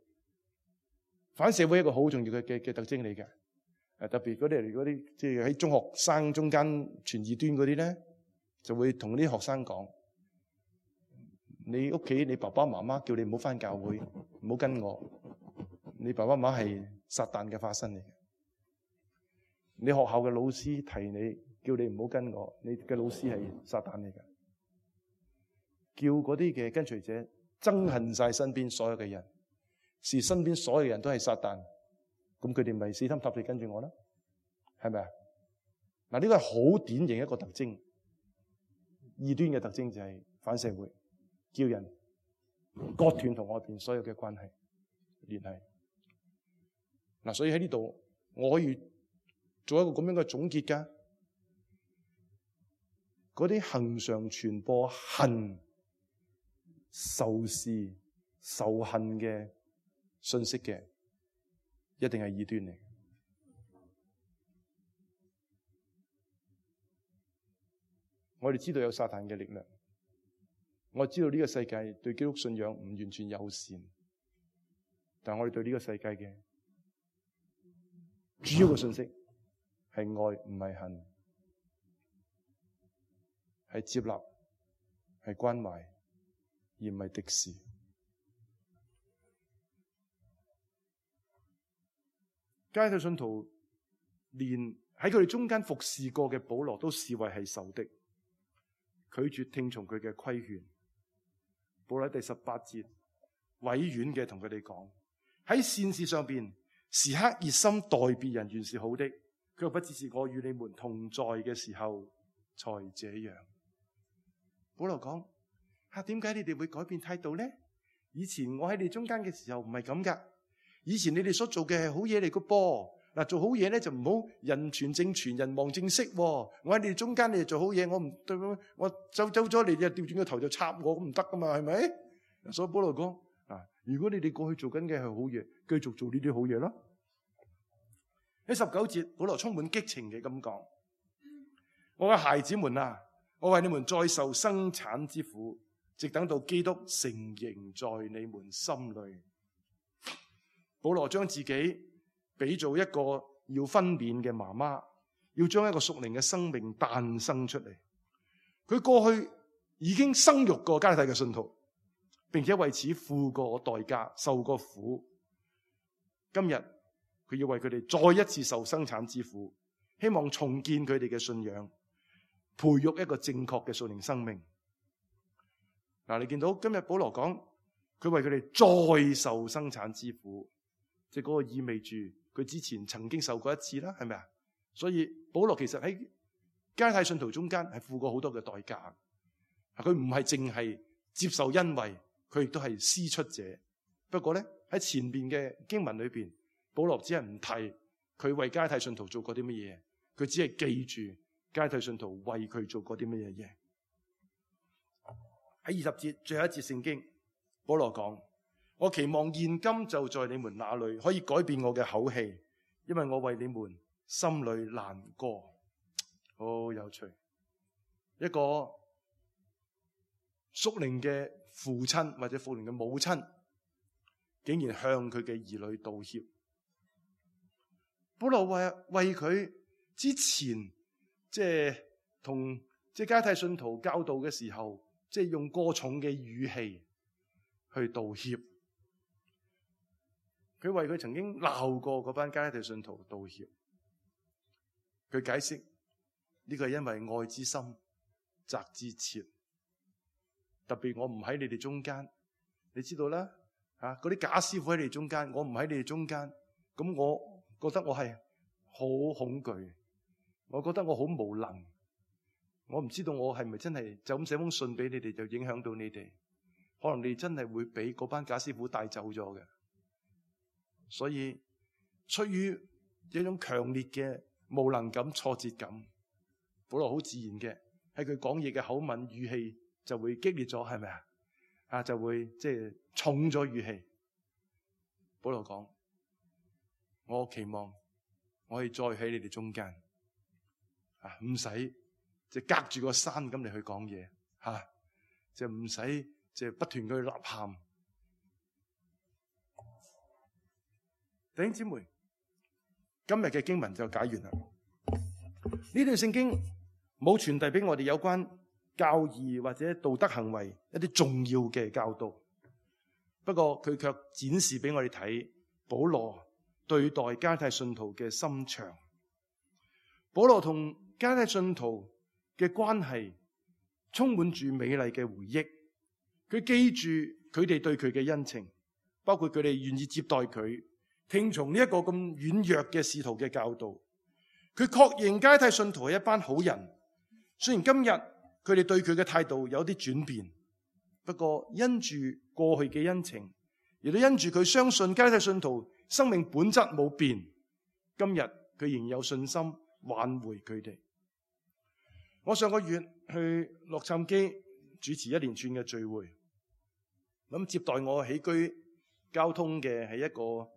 反社會一個好重要嘅特徵嚟嘅。特別嗰啲即係喺中學生中間傳異端嗰啲咧，就會同啲學生講。你屋企你爸爸媽媽叫你唔好返教會，唔好跟我。你爸爸媽媽係撒旦嘅化身嚟嘅。你學校嘅老師提你，叫你唔好跟我，你嘅老師係撒旦嚟嘅。叫嗰啲嘅跟隨者憎恨晒身邊所有嘅人，視身邊所有人都係撒旦，咁佢哋咪死心塌地跟住我啦？係咪啊？嗱，呢個係好典型一個特徵。異端嘅特徵就係反社會。叫人割斷同外邊所有嘅關係聯繫。嗱，所以喺呢度我可以做一個咁樣嘅總結噶。嗰啲恒常傳播恨、仇視、仇恨嘅信息嘅，一定係異端嚟。我哋知道有撒旦嘅力量。我知道呢個世界對基督信仰唔完全友善，但係我哋對呢個世界嘅主要嘅信息係愛，唔係恨，係接納，係關懷，而唔係敵視。加拉太信徒連喺佢哋中間服侍過嘅保羅都視為係仇敵，拒絕聽從佢嘅規勸。保羅喺第18節委婉嘅同佢哋講，喺善事上邊時刻熱心待別人原是好的，佢又不只是我與你們同在嘅時候才這樣。保羅講，點解你哋會改變態度呢？以前我喺你中間嘅時候唔係咁噶，以前你哋所做嘅係好嘢嚟個噃。嗱，做好嘢咧就唔好人傳正傳，人望正式。我喺你哋中間，你哋做好嘢，我唔對，我走咗，你哋掉轉個頭就插我，咁唔得噶嘛，係咪？所以保羅講，如果你哋過去做緊嘅係好嘢，繼續做呢啲好嘢咯。喺19節，保羅充滿激情嘅咁講：我嘅孩子們啊，我為你們再受生產之苦，直等到基督成形在你們心裏。保羅將自己比做一個要分娩嘅媽媽，要將一個屬靈嘅生命誕生出嚟。佢過去已經生育過加拉太嘅信徒，並且為此付過代價，受過苦。今日佢要為佢哋再一次受生產之苦，希望重建佢哋嘅信仰，培育一個正確嘅屬靈生命。你見到今日保羅講，佢為佢哋再受生產之苦，即係嗰個意味住佢之前曾經受過一次啦，係咪啊？所以保羅其實喺加拉太信徒中間係付過好多嘅代價。佢唔係淨係接受恩惠，佢亦都係施出者。不過咧，喺前邊嘅經文裏邊，保羅只係唔提佢為加拉太信徒做過啲乜嘢，佢只係記住加拉太信徒為佢做過啲乜嘢嘢。喺20節最後一節聖經，保羅講：我期望現今就在你們那裏可以改變我嘅口氣，因為我為你們心裏難過。好有趣，一個屬靈嘅父親或者屬靈嘅母親，竟然向佢嘅兒女道歉。保羅為佢之前同加拉太信徒教導嘅時候，用過重嘅語氣去道歉。佢為佢曾經鬧過嗰班加拉太信徒道歉。佢解釋呢個係因為愛之深責之切。特別我唔喺你哋中間，你知道啦，嗰啲假師傅喺你哋中間，我唔喺你哋中間，咁我覺得我係好恐懼，我覺得我好無能，我唔知道我係咪真係就咁寫封信俾你哋就影響到你哋，可能你哋真係會俾嗰班假師傅帶走咗嘅。所以出於一種強烈嘅無能感、挫折感，保羅好自然嘅喺佢講嘢嘅口吻語氣就會激烈咗，係咪啊？就會重咗語氣。保羅講：我期望我可以再喺你哋中間，唔使隔住個山咁嚟去講嘢，就唔使不斷去吶喊。弟兄姊妹，今日嘅經文就解完啦。呢段聖經冇傳遞俾我哋有關教義或者道德行為一啲重要嘅教導，不過佢卻展示俾我哋睇保羅對待加拉太信徒嘅心腸。保羅同加拉太信徒嘅關係充滿住美麗嘅回憶，佢記住佢哋對佢嘅恩情，包括佢哋願意接待佢，聽從呢一個咁軟弱嘅使徒嘅教導。佢確認加拉太信徒係一班好人，雖然今日佢哋對佢嘅態度有啲轉變，不過因住過去嘅恩情，亦都因住佢相信加拉太信徒生命本質冇變，今日佢仍有信心挽回佢哋。我上個月去洛杉磯主持一連串嘅聚會，咁接待我起居交通嘅係一個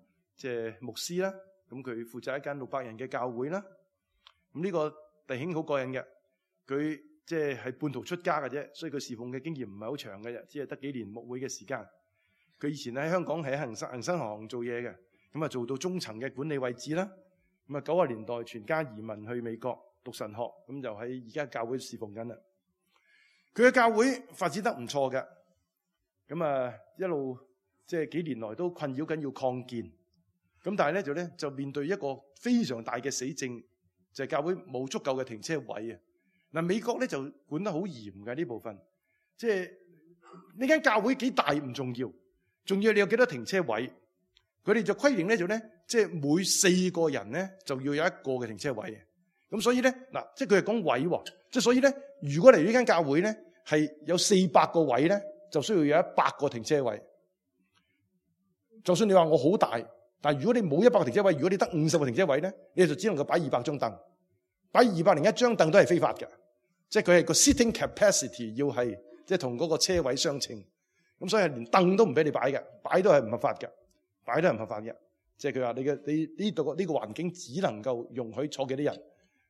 牧師啦，咁佢負責一間600人嘅教會啦。咁呢個弟兄好過癮嘅，佢係半途出家嘅啫，所以佢侍奉嘅經驗唔係好長嘅啫，只係得幾年牧會嘅時間。佢以前喺香港係喺恒生行做嘢嘅，咁啊做到中層嘅管理位置啦。咁啊90年代全家移民去美國讀神學，咁就喺而家教會侍奉緊啦。佢嘅教會發展得唔錯嘅，咁啊一路幾年來都困擾緊要擴建，咁但係咧就面對一個非常大嘅死症，就係教會冇足夠嘅停車位啊。嗱，美國咧就管得好嚴嘅呢部分，即係呢間教會幾大唔重要，重要你有幾多停車位。佢哋就規定咧就咧，即係每4個人咧就要有一個嘅停車位嘅。咁所以咧嗱，即係佢係講位喎，即係所以咧，如果嚟呢間教會咧係有400個位咧，就需要有100個停車位。就算你話我好大，但係如果你冇100個停車位，如果你得50個停車位咧，你就只能夠擺200張凳，擺201張凳都係非法嘅，即係佢係個 sitting capacity 要係即係同嗰個車位相稱。咁所以係連凳都唔俾你擺嘅，擺都係唔合法嘅，擺都係唔合法嘅。即係佢話你呢度呢個環境只能夠容許坐幾啲人，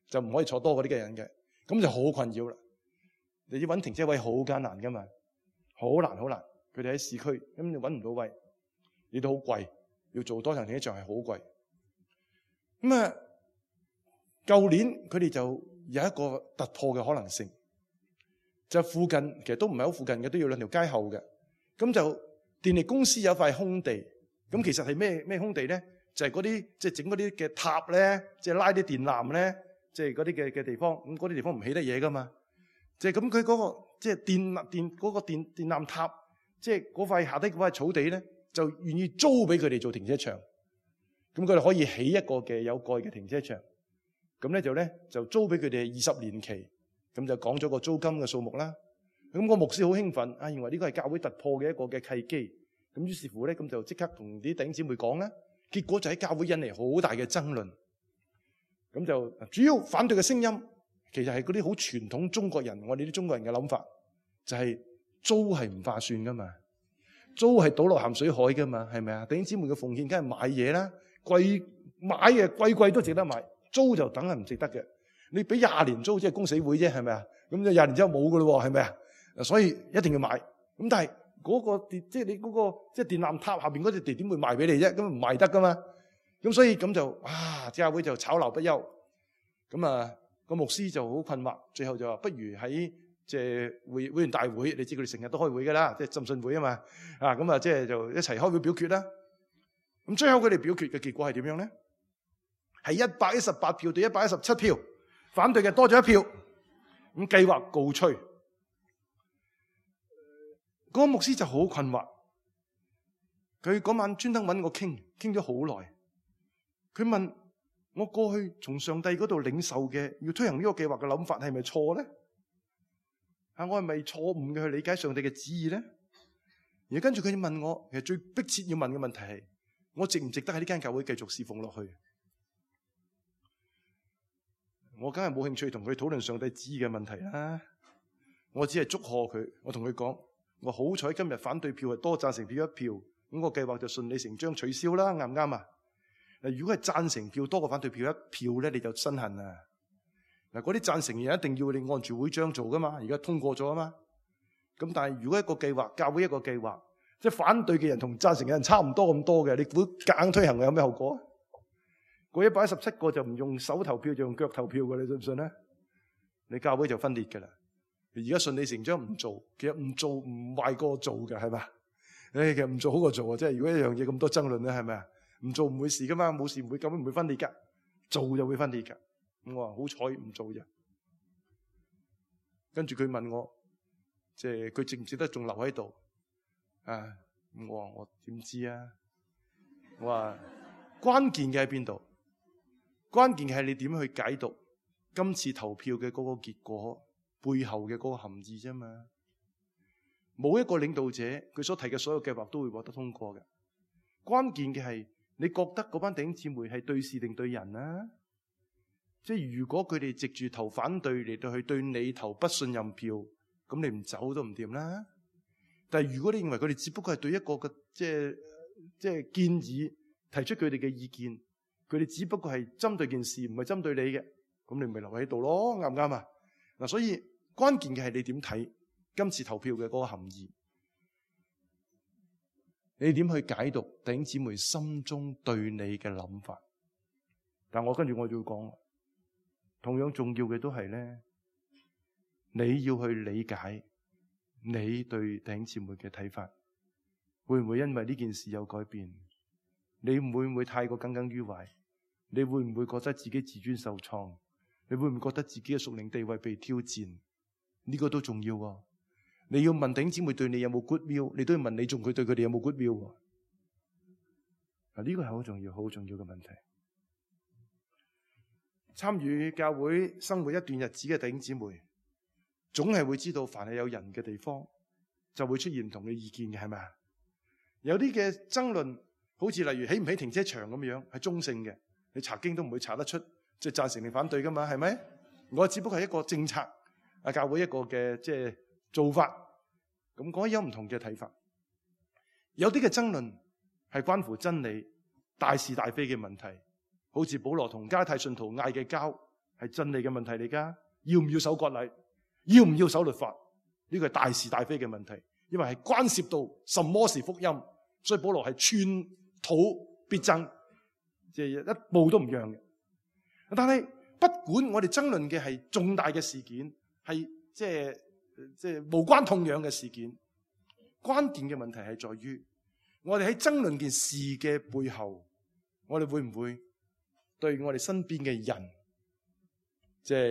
就唔可以坐多嗰啲嘅人嘅，咁就好困擾啦。你要揾停車位好艱難噶嘛，好難。佢哋喺市區，咁你揾唔到位，你都好貴，要做多層停車場係好貴。咁啊，舊年佢哋就有一個突破嘅可能性，就附近其實都唔係好附近嘅，都要2條街後嘅。咁就電力公司有塊空地，咁其實係咩空地咧？就係嗰啲即係整嗰啲嘅塔咧，即係拉啲電纜咧，即係嗰啲嘅地方。咁嗰啲地方唔起得嘢噶嘛，即係咁佢嗰個即係電嗰個電纜塔，即係嗰塊下低嗰塊草地咧，就願意租俾佢哋做停車場。咁佢哋可以起一個嘅有蓋嘅停車場。咁咧就租俾佢哋20年期，咁就講咗個租金嘅數目啦。咁個牧師好興奮，認為呢個係教會突破嘅一個嘅契機。咁於是乎咧，咁就即刻同啲弟兄姊妹講啦。結果就喺教會引嚟好大嘅爭論。咁就主要反對嘅聲音，其實係嗰啲好傳統中國人，我哋啲中國人嘅諗法，就係租係唔划算噶嘛，租係倒落鹹水海噶嘛，係咪啊？弟兄姊妹嘅奉獻梗係買嘢啦，買嘅貴都值得買，租就等係唔值得嘅。你俾20年租，即係公死會啫，係咪啊？咁就20年之後冇噶咯，係咪啊？所以一定要買。咁但係嗰個電，即係你嗰個即係電纜塔下邊嗰隻地點會賣俾你啫？咁唔賣得噶嘛？咁所以咁就教會就吵鬧不休。咁個牧師就好困惑，最後就話不如喺即係會員大會，你知佢哋成日都開會噶啦，即係浸信會啊嘛。咁即係就一齊開會表決啦。咁最後佢哋表決嘅結果係點樣咧？係118票對117票，反對嘅多咗1票。咁計劃告吹。嗰個牧師就好困惑，佢嗰晚專登揾我傾咗好耐。佢問我過去從上帝嗰度領受嘅要推行呢個計劃嘅諗法係咪錯咧？我係咪錯誤嘅去理解上帝嘅旨意咧？而跟住佢問我，其實最迫切要問嘅問題係：我值唔值得喺呢間教會繼續侍奉落去？我梗係冇興趣同佢討論上帝旨意嘅問題啦。我只係祝賀佢，我同佢講。我好彩今日反對票係多，贊成票1票，咁個計劃就順理成章取消啦，啱唔啱啊？嗱，如果係贊成票多過反對票1票咧，你就身痕啊！嗱，嗰啲贊成人一定要你按住會章做噶嘛，而家通過咗啊嘛。咁但係如果一個計劃，教會一個計劃，即係反對嘅人同贊成嘅人差唔多咁多嘅，你估夾硬推行有咩後果啊？嗰117個就唔用手投票，就用腳投票嘅，你信唔信咧？你教會就分裂噶啦。而家順理成章唔做，其實唔做唔壞過做嘅，係嘛？其實唔做好過做啊！即係如果一樣嘢咁多爭論咧，係咪啊？唔做唔會事噶嘛，冇事唔會，根本唔會分裂噶，做就會分裂噶。咁我話好彩唔做啫。跟住佢問我，即係佢值唔值得仲留喺度？咁我話我點知啊？我話關鍵嘅喺邊度？關鍵嘅係你點去解讀今次投票嘅嗰個結果背後嘅嗰個含義啫嘛。冇一個領導者佢所提嘅所有計劃都會獲得通過嘅。關鍵嘅係你覺得嗰班弟兄姊妹係對事定對人啊？即係如果佢哋藉住投反對嚟到去對你投不信任票，咁你唔走都唔掂啦。但係如果你認為佢哋只不過係對一個嘅即係建議提出佢哋嘅意見，佢哋只不過係針對件事，唔係針對你嘅，咁你咪留喺度咯，啱唔啱啊？嗱，所以關鍵嘅係你點睇今次投票嘅嗰個含義，你點去解讀弟兄姊妹心中對你嘅諗法？但我跟住我就要講，同樣重要嘅都係咧，你要去理解你對弟兄姊妹嘅睇法，會唔會因為呢件事有改變？你會唔會太過耿耿於懷？你會唔會覺得自己自尊受創？你會唔會覺得自己嘅屬靈地位被挑戰？呢個都重要喎。你要問弟兄姊妹對你有冇 goodwill， 你都要問你仲佢對佢哋有冇 goodwill 喎。呢個係好重要、好重要嘅問題。參與教會生活一段日子嘅弟兄姊妹，總係會知道，凡係有人嘅地方，就會出現唔同嘅意見嘅，係咪啊？有啲嘅爭論，好似例如起唔起停車場咁樣，係中性嘅，你查經都唔會查得出，即係贊成定反對噶嘛，係咪？我只不過係一個政策，教會一個嘅即係做法，咁嗰啲有唔同嘅睇法。有啲嘅爭論係關乎真理、大是大非嘅問題，好似保羅同加拉太信徒嗌嘅交，係真理嘅問題嚟噶。要唔要守割禮？要唔要守律法？呢個係大是大非嘅問題，因為係關涉到什麼是福音，所以保羅係寸土必爭，即係一步都唔讓嘅。但係不管我哋爭論嘅係重大嘅事件，係即係無關痛癢嘅事件，關鍵嘅問題係在於我哋喺爭論件事嘅背後，我哋會唔會對我哋身邊嘅人，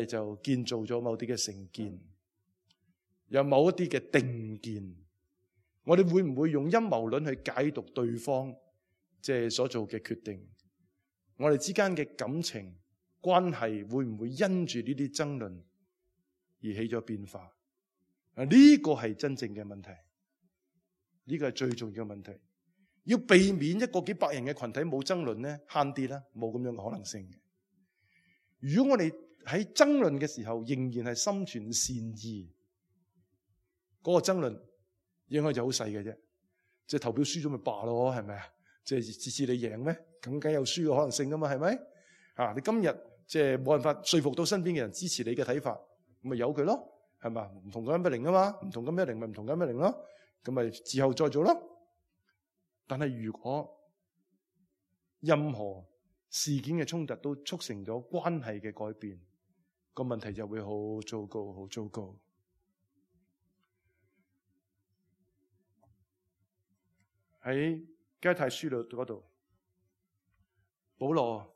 就建造咗某啲嘅成見，有某一啲嘅定見，我哋會唔會用陰謀論去解讀對方所做嘅決定？我哋之間嘅感情關係會唔會因住呢啲爭論而起咗變化？呢個係真正嘅問題，呢個係最重要嘅問題。要避免一個幾百人嘅群體冇爭論咧，慳啲啦，冇咁樣嘅可能性嘅。如果我哋喺爭論嘅時候仍然係心存善意，嗰個爭論應該就好細嘅啫，即係投票輸咗咪罷咯，係咪啊？即係次次你贏咩？咁梗有輸嘅可能性噶嘛，係咪？你今日即係冇辦法說服到身邊嘅人支持你嘅睇法，咁咪由佢咯，係嘛？唔同咁一零啊嘛，唔同咁一零咪唔同咁一零咯，咁咪之後再做咯。但係如果任何事件嘅衝突都促成咗關係嘅改變，個問題就會好糟糕，好糟糕。喺加拉太書嗰度，保羅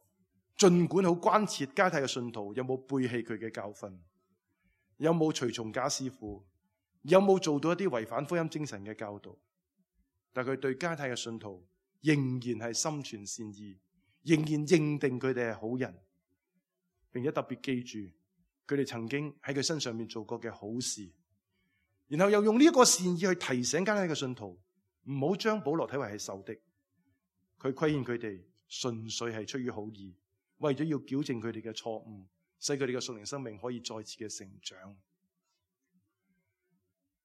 盡管好關切加拉太嘅信徒有冇背棄佢嘅教訓，有冇隨從假師傅，有冇做到一啲違反福音精神嘅教導，但佢對加拉太嘅信徒仍然係心存善意，仍然認定佢哋係好人，並且特別記住佢哋曾經喺佢身上面做過嘅好事，然後又用呢一個善意去提醒加拉太嘅信徒唔好將保羅睇為係仇敵。佢規勸佢哋純粹係出於好意，為咗要矯正佢哋嘅錯誤，使佢哋嘅屬靈生命可以再次嘅成長。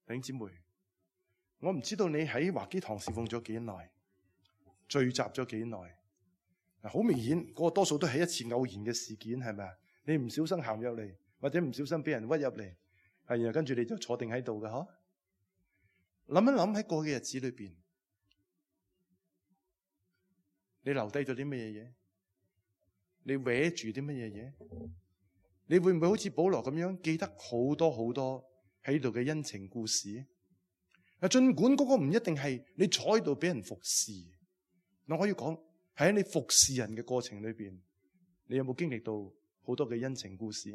弟兄姊妹，我唔知道你喺華基堂侍奉咗幾耐，聚集咗幾耐。好明顯，嗰個多數都係一次偶然嘅事件，係咪啊？你唔小心行入嚟，或者唔小心俾人屈入嚟，然後跟住你就坐定喺度嘅嗬。諗一諗喺過去嘅日子裏邊，你留低咗啲乜嘢嘢？你搲住啲乜嘢嘢？你會唔會好似保羅咁樣記得好多好多喺度嘅恩情故事？盡管嗰個唔一定係你坐喺度俾人服侍，我可以講喺你服侍人嘅過程裏邊，你有冇經歷到好多嘅恩情故事？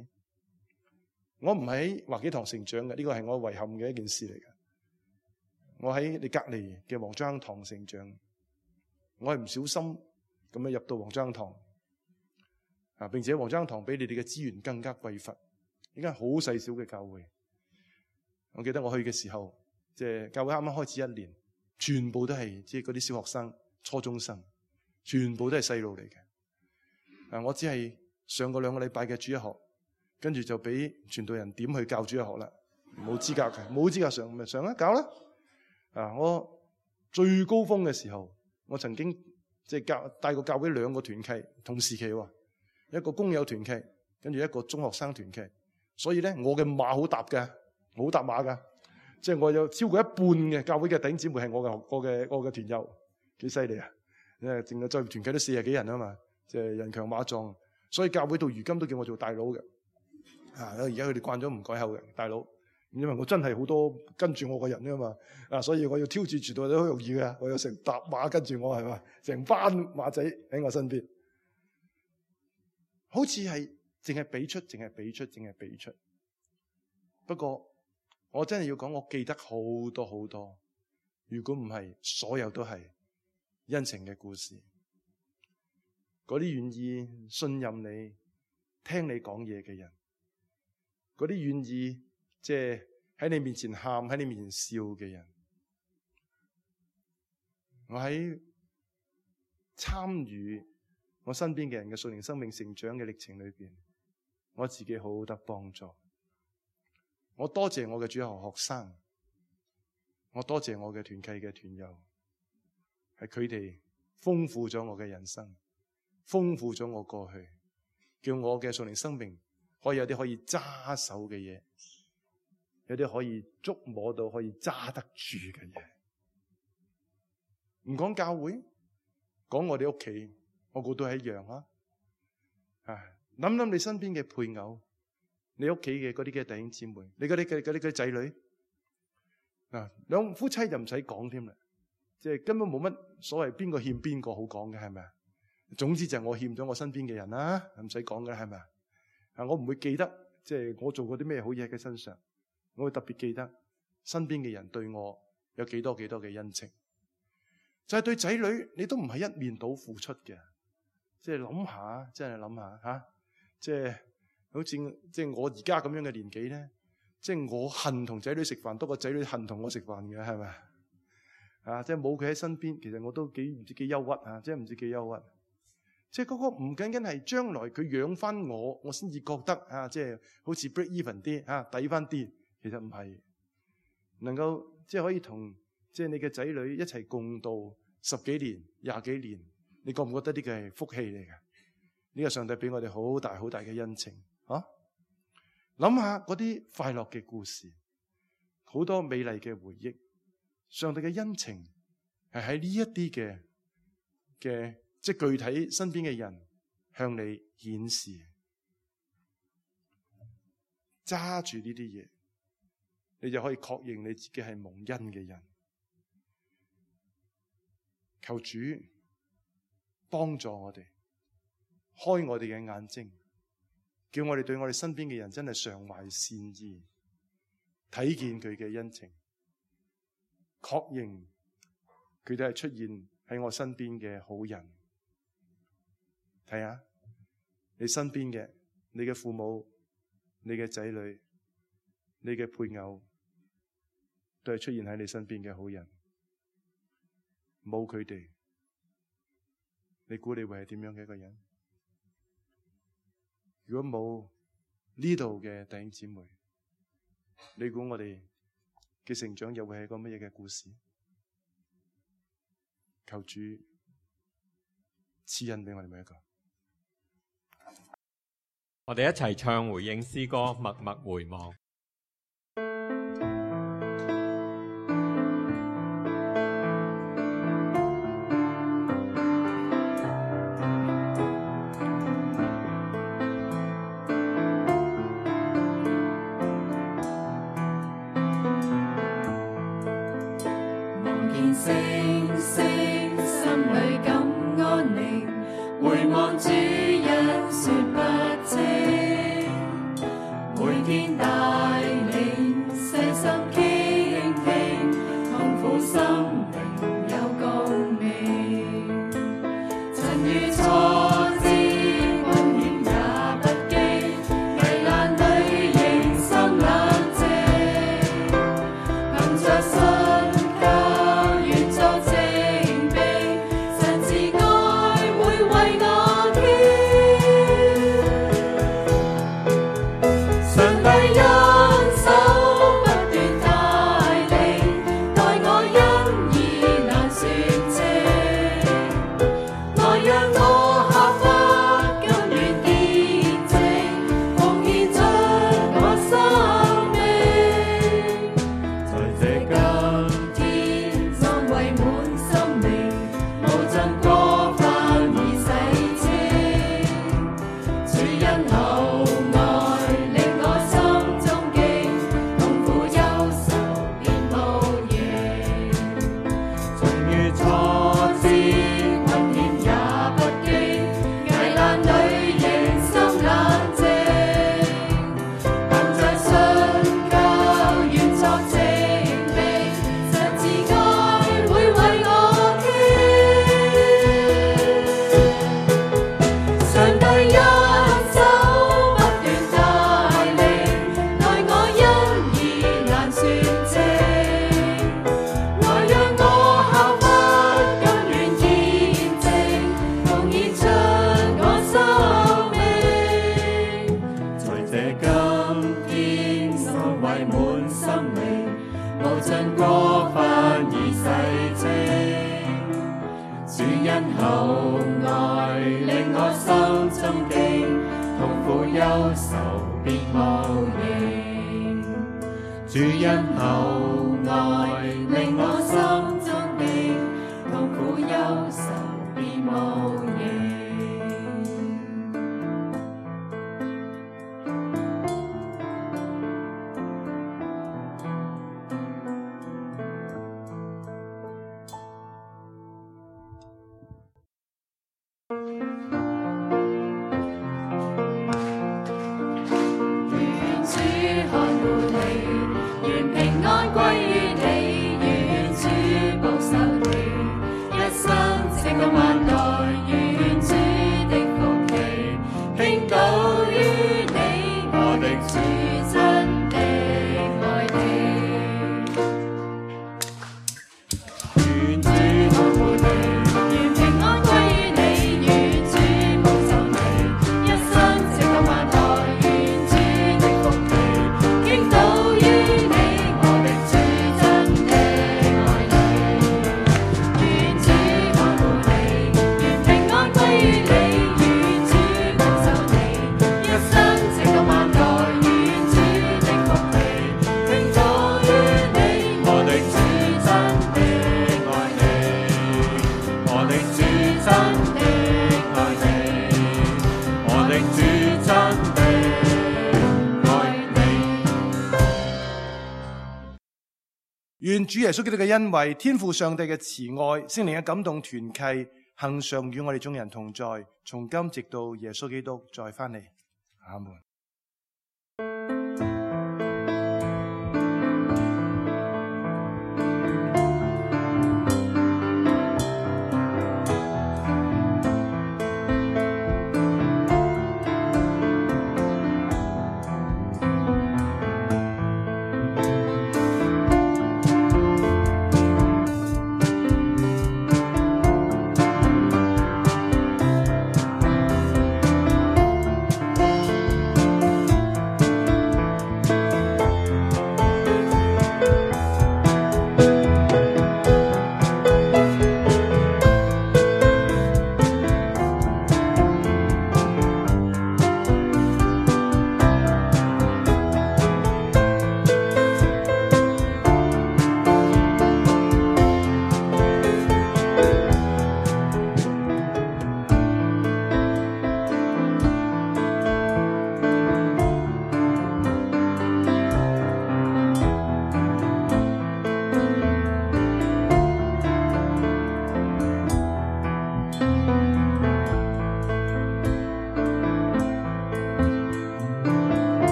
我唔喺華基堂成長嘅，呢個係我遺憾嘅一件事嚟嘅。我喺你隔籬嘅黃章堂成長，我係唔小心咁樣入到黃章堂，並且黃章堂比你哋嘅資源更加匱乏，呢間好細小嘅教會。我記得我去嘅時候，即係教會啱啱開始1年，全部都係即係嗰啲小學生、初中生，全部都係細路嚟嘅。我只係上過2個禮拜嘅主日學，跟住就俾傳道人點去教主日學啦，冇資格嘅，冇資格上咪上啦，教啦。我最高峰嘅時候，我曾經即係帶過教會2個團契同時期喎，一個工友團契，跟住一個中學生團契。所以咧，我嘅馬好搭嘅，好搭馬噶，即係我有超過一半嘅教會嘅弟兄姊妹係我嘅團友，幾犀利啊！因為淨係在團契都40幾人啊嘛，即係人強馬壯，所以教會到如今都叫我做大佬嘅。而家佢哋慣咗唔改口嘅大佬。因為我真係好多跟住我嘅人啊嘛，所以我要挑戰住到都好容易嘅。我有成搭馬跟住我，係嘛，成班馬仔喺我身邊，好似係淨係俾出。不過我真係要講，我記得好多好多，如果唔係，所有都係恩情嘅故事。嗰啲願意信任你、聽你講嘢嘅人，嗰啲願意即係喺你面前喊、喺你面前笑嘅人，我喺參與我身邊嘅人嘅屬靈生命成長嘅歷程裏邊，我自己好好得幫助。我多謝我嘅主學學生，我多謝我嘅團契嘅團友，係佢哋豐富咗我嘅人生，豐富咗我過去，叫我嘅屬靈生命可以有啲可以揸手嘅嘢，有啲可以觸摸到可以揸得住嘅嘢。唔講教會，講我哋屋企，我估都係一樣啊！諗諗你身邊嘅配偶，你屋企嘅嗰啲嘅弟兄姊妹，你嗰啲仔女，兩夫妻就唔使講添啦，即係根本冇乜所謂邊個欠邊個好講嘅，係咪啊？總之就係我欠咗我身邊嘅人啦，唔使講嘅，係咪啊？我唔會記得即係我做過啲咩好嘢喺佢身上，我會特別記得身邊嘅人對我有幾多嘅恩情。就係對仔女，你都唔係一面倒付出嘅，即係諗下，真係諗下吓，即係好似即係我而家咁樣嘅年紀咧，即係我恨同仔女食飯多過仔女恨同我食飯嘅，係咪啊？即係冇佢喺身邊，其實我都唔知幾憂鬱啊！即係唔知幾憂鬱。即係嗰個唔僅僅係將來佢養翻我先至覺得啊，即係好似 break even 啲啊，抵翻啲。其實唔係，能夠即係可以同即係你嘅仔女一齊共度10幾年、20幾年，你覺唔覺得呢個係福氣嚟嘅？呢個上帝俾我哋好大好大嘅恩情啊！諗下嗰啲快樂嘅故事，好多美麗嘅回憶，上帝嘅恩情係喺呢一啲嘅即係具體身邊嘅人向你顯示，揸住呢啲嘢，你就可以確認你自己係蒙恩嘅人。求主幫助我哋，開我哋嘅眼睛，叫我哋對我哋身邊嘅人真係常懷善意，睇見佢嘅恩情，確認佢哋係出現喺我身邊嘅好人。睇下你身邊嘅，你嘅父母、你嘅仔女、你嘅配偶，都係出現喺你身邊嘅好人。冇佢哋，你估你會係點樣嘅一個人？如果冇呢度嘅弟兄姊妹，你估我哋嘅成長又會係一個乜嘢嘅故事？求主賜恩俾我哋每一個。我哋一齊唱回應詩歌《默默回望》。為我主恩厚愛令我心中的痛苦憂愁變無形，主恩厚愛令我心中的痛苦憂愁變無形。願主耶穌基督嘅恩惠、天父上帝嘅慈愛、聖靈嘅感動團契，恆常與我哋眾人同在，從今直到耶穌基督再翻嚟。阿門。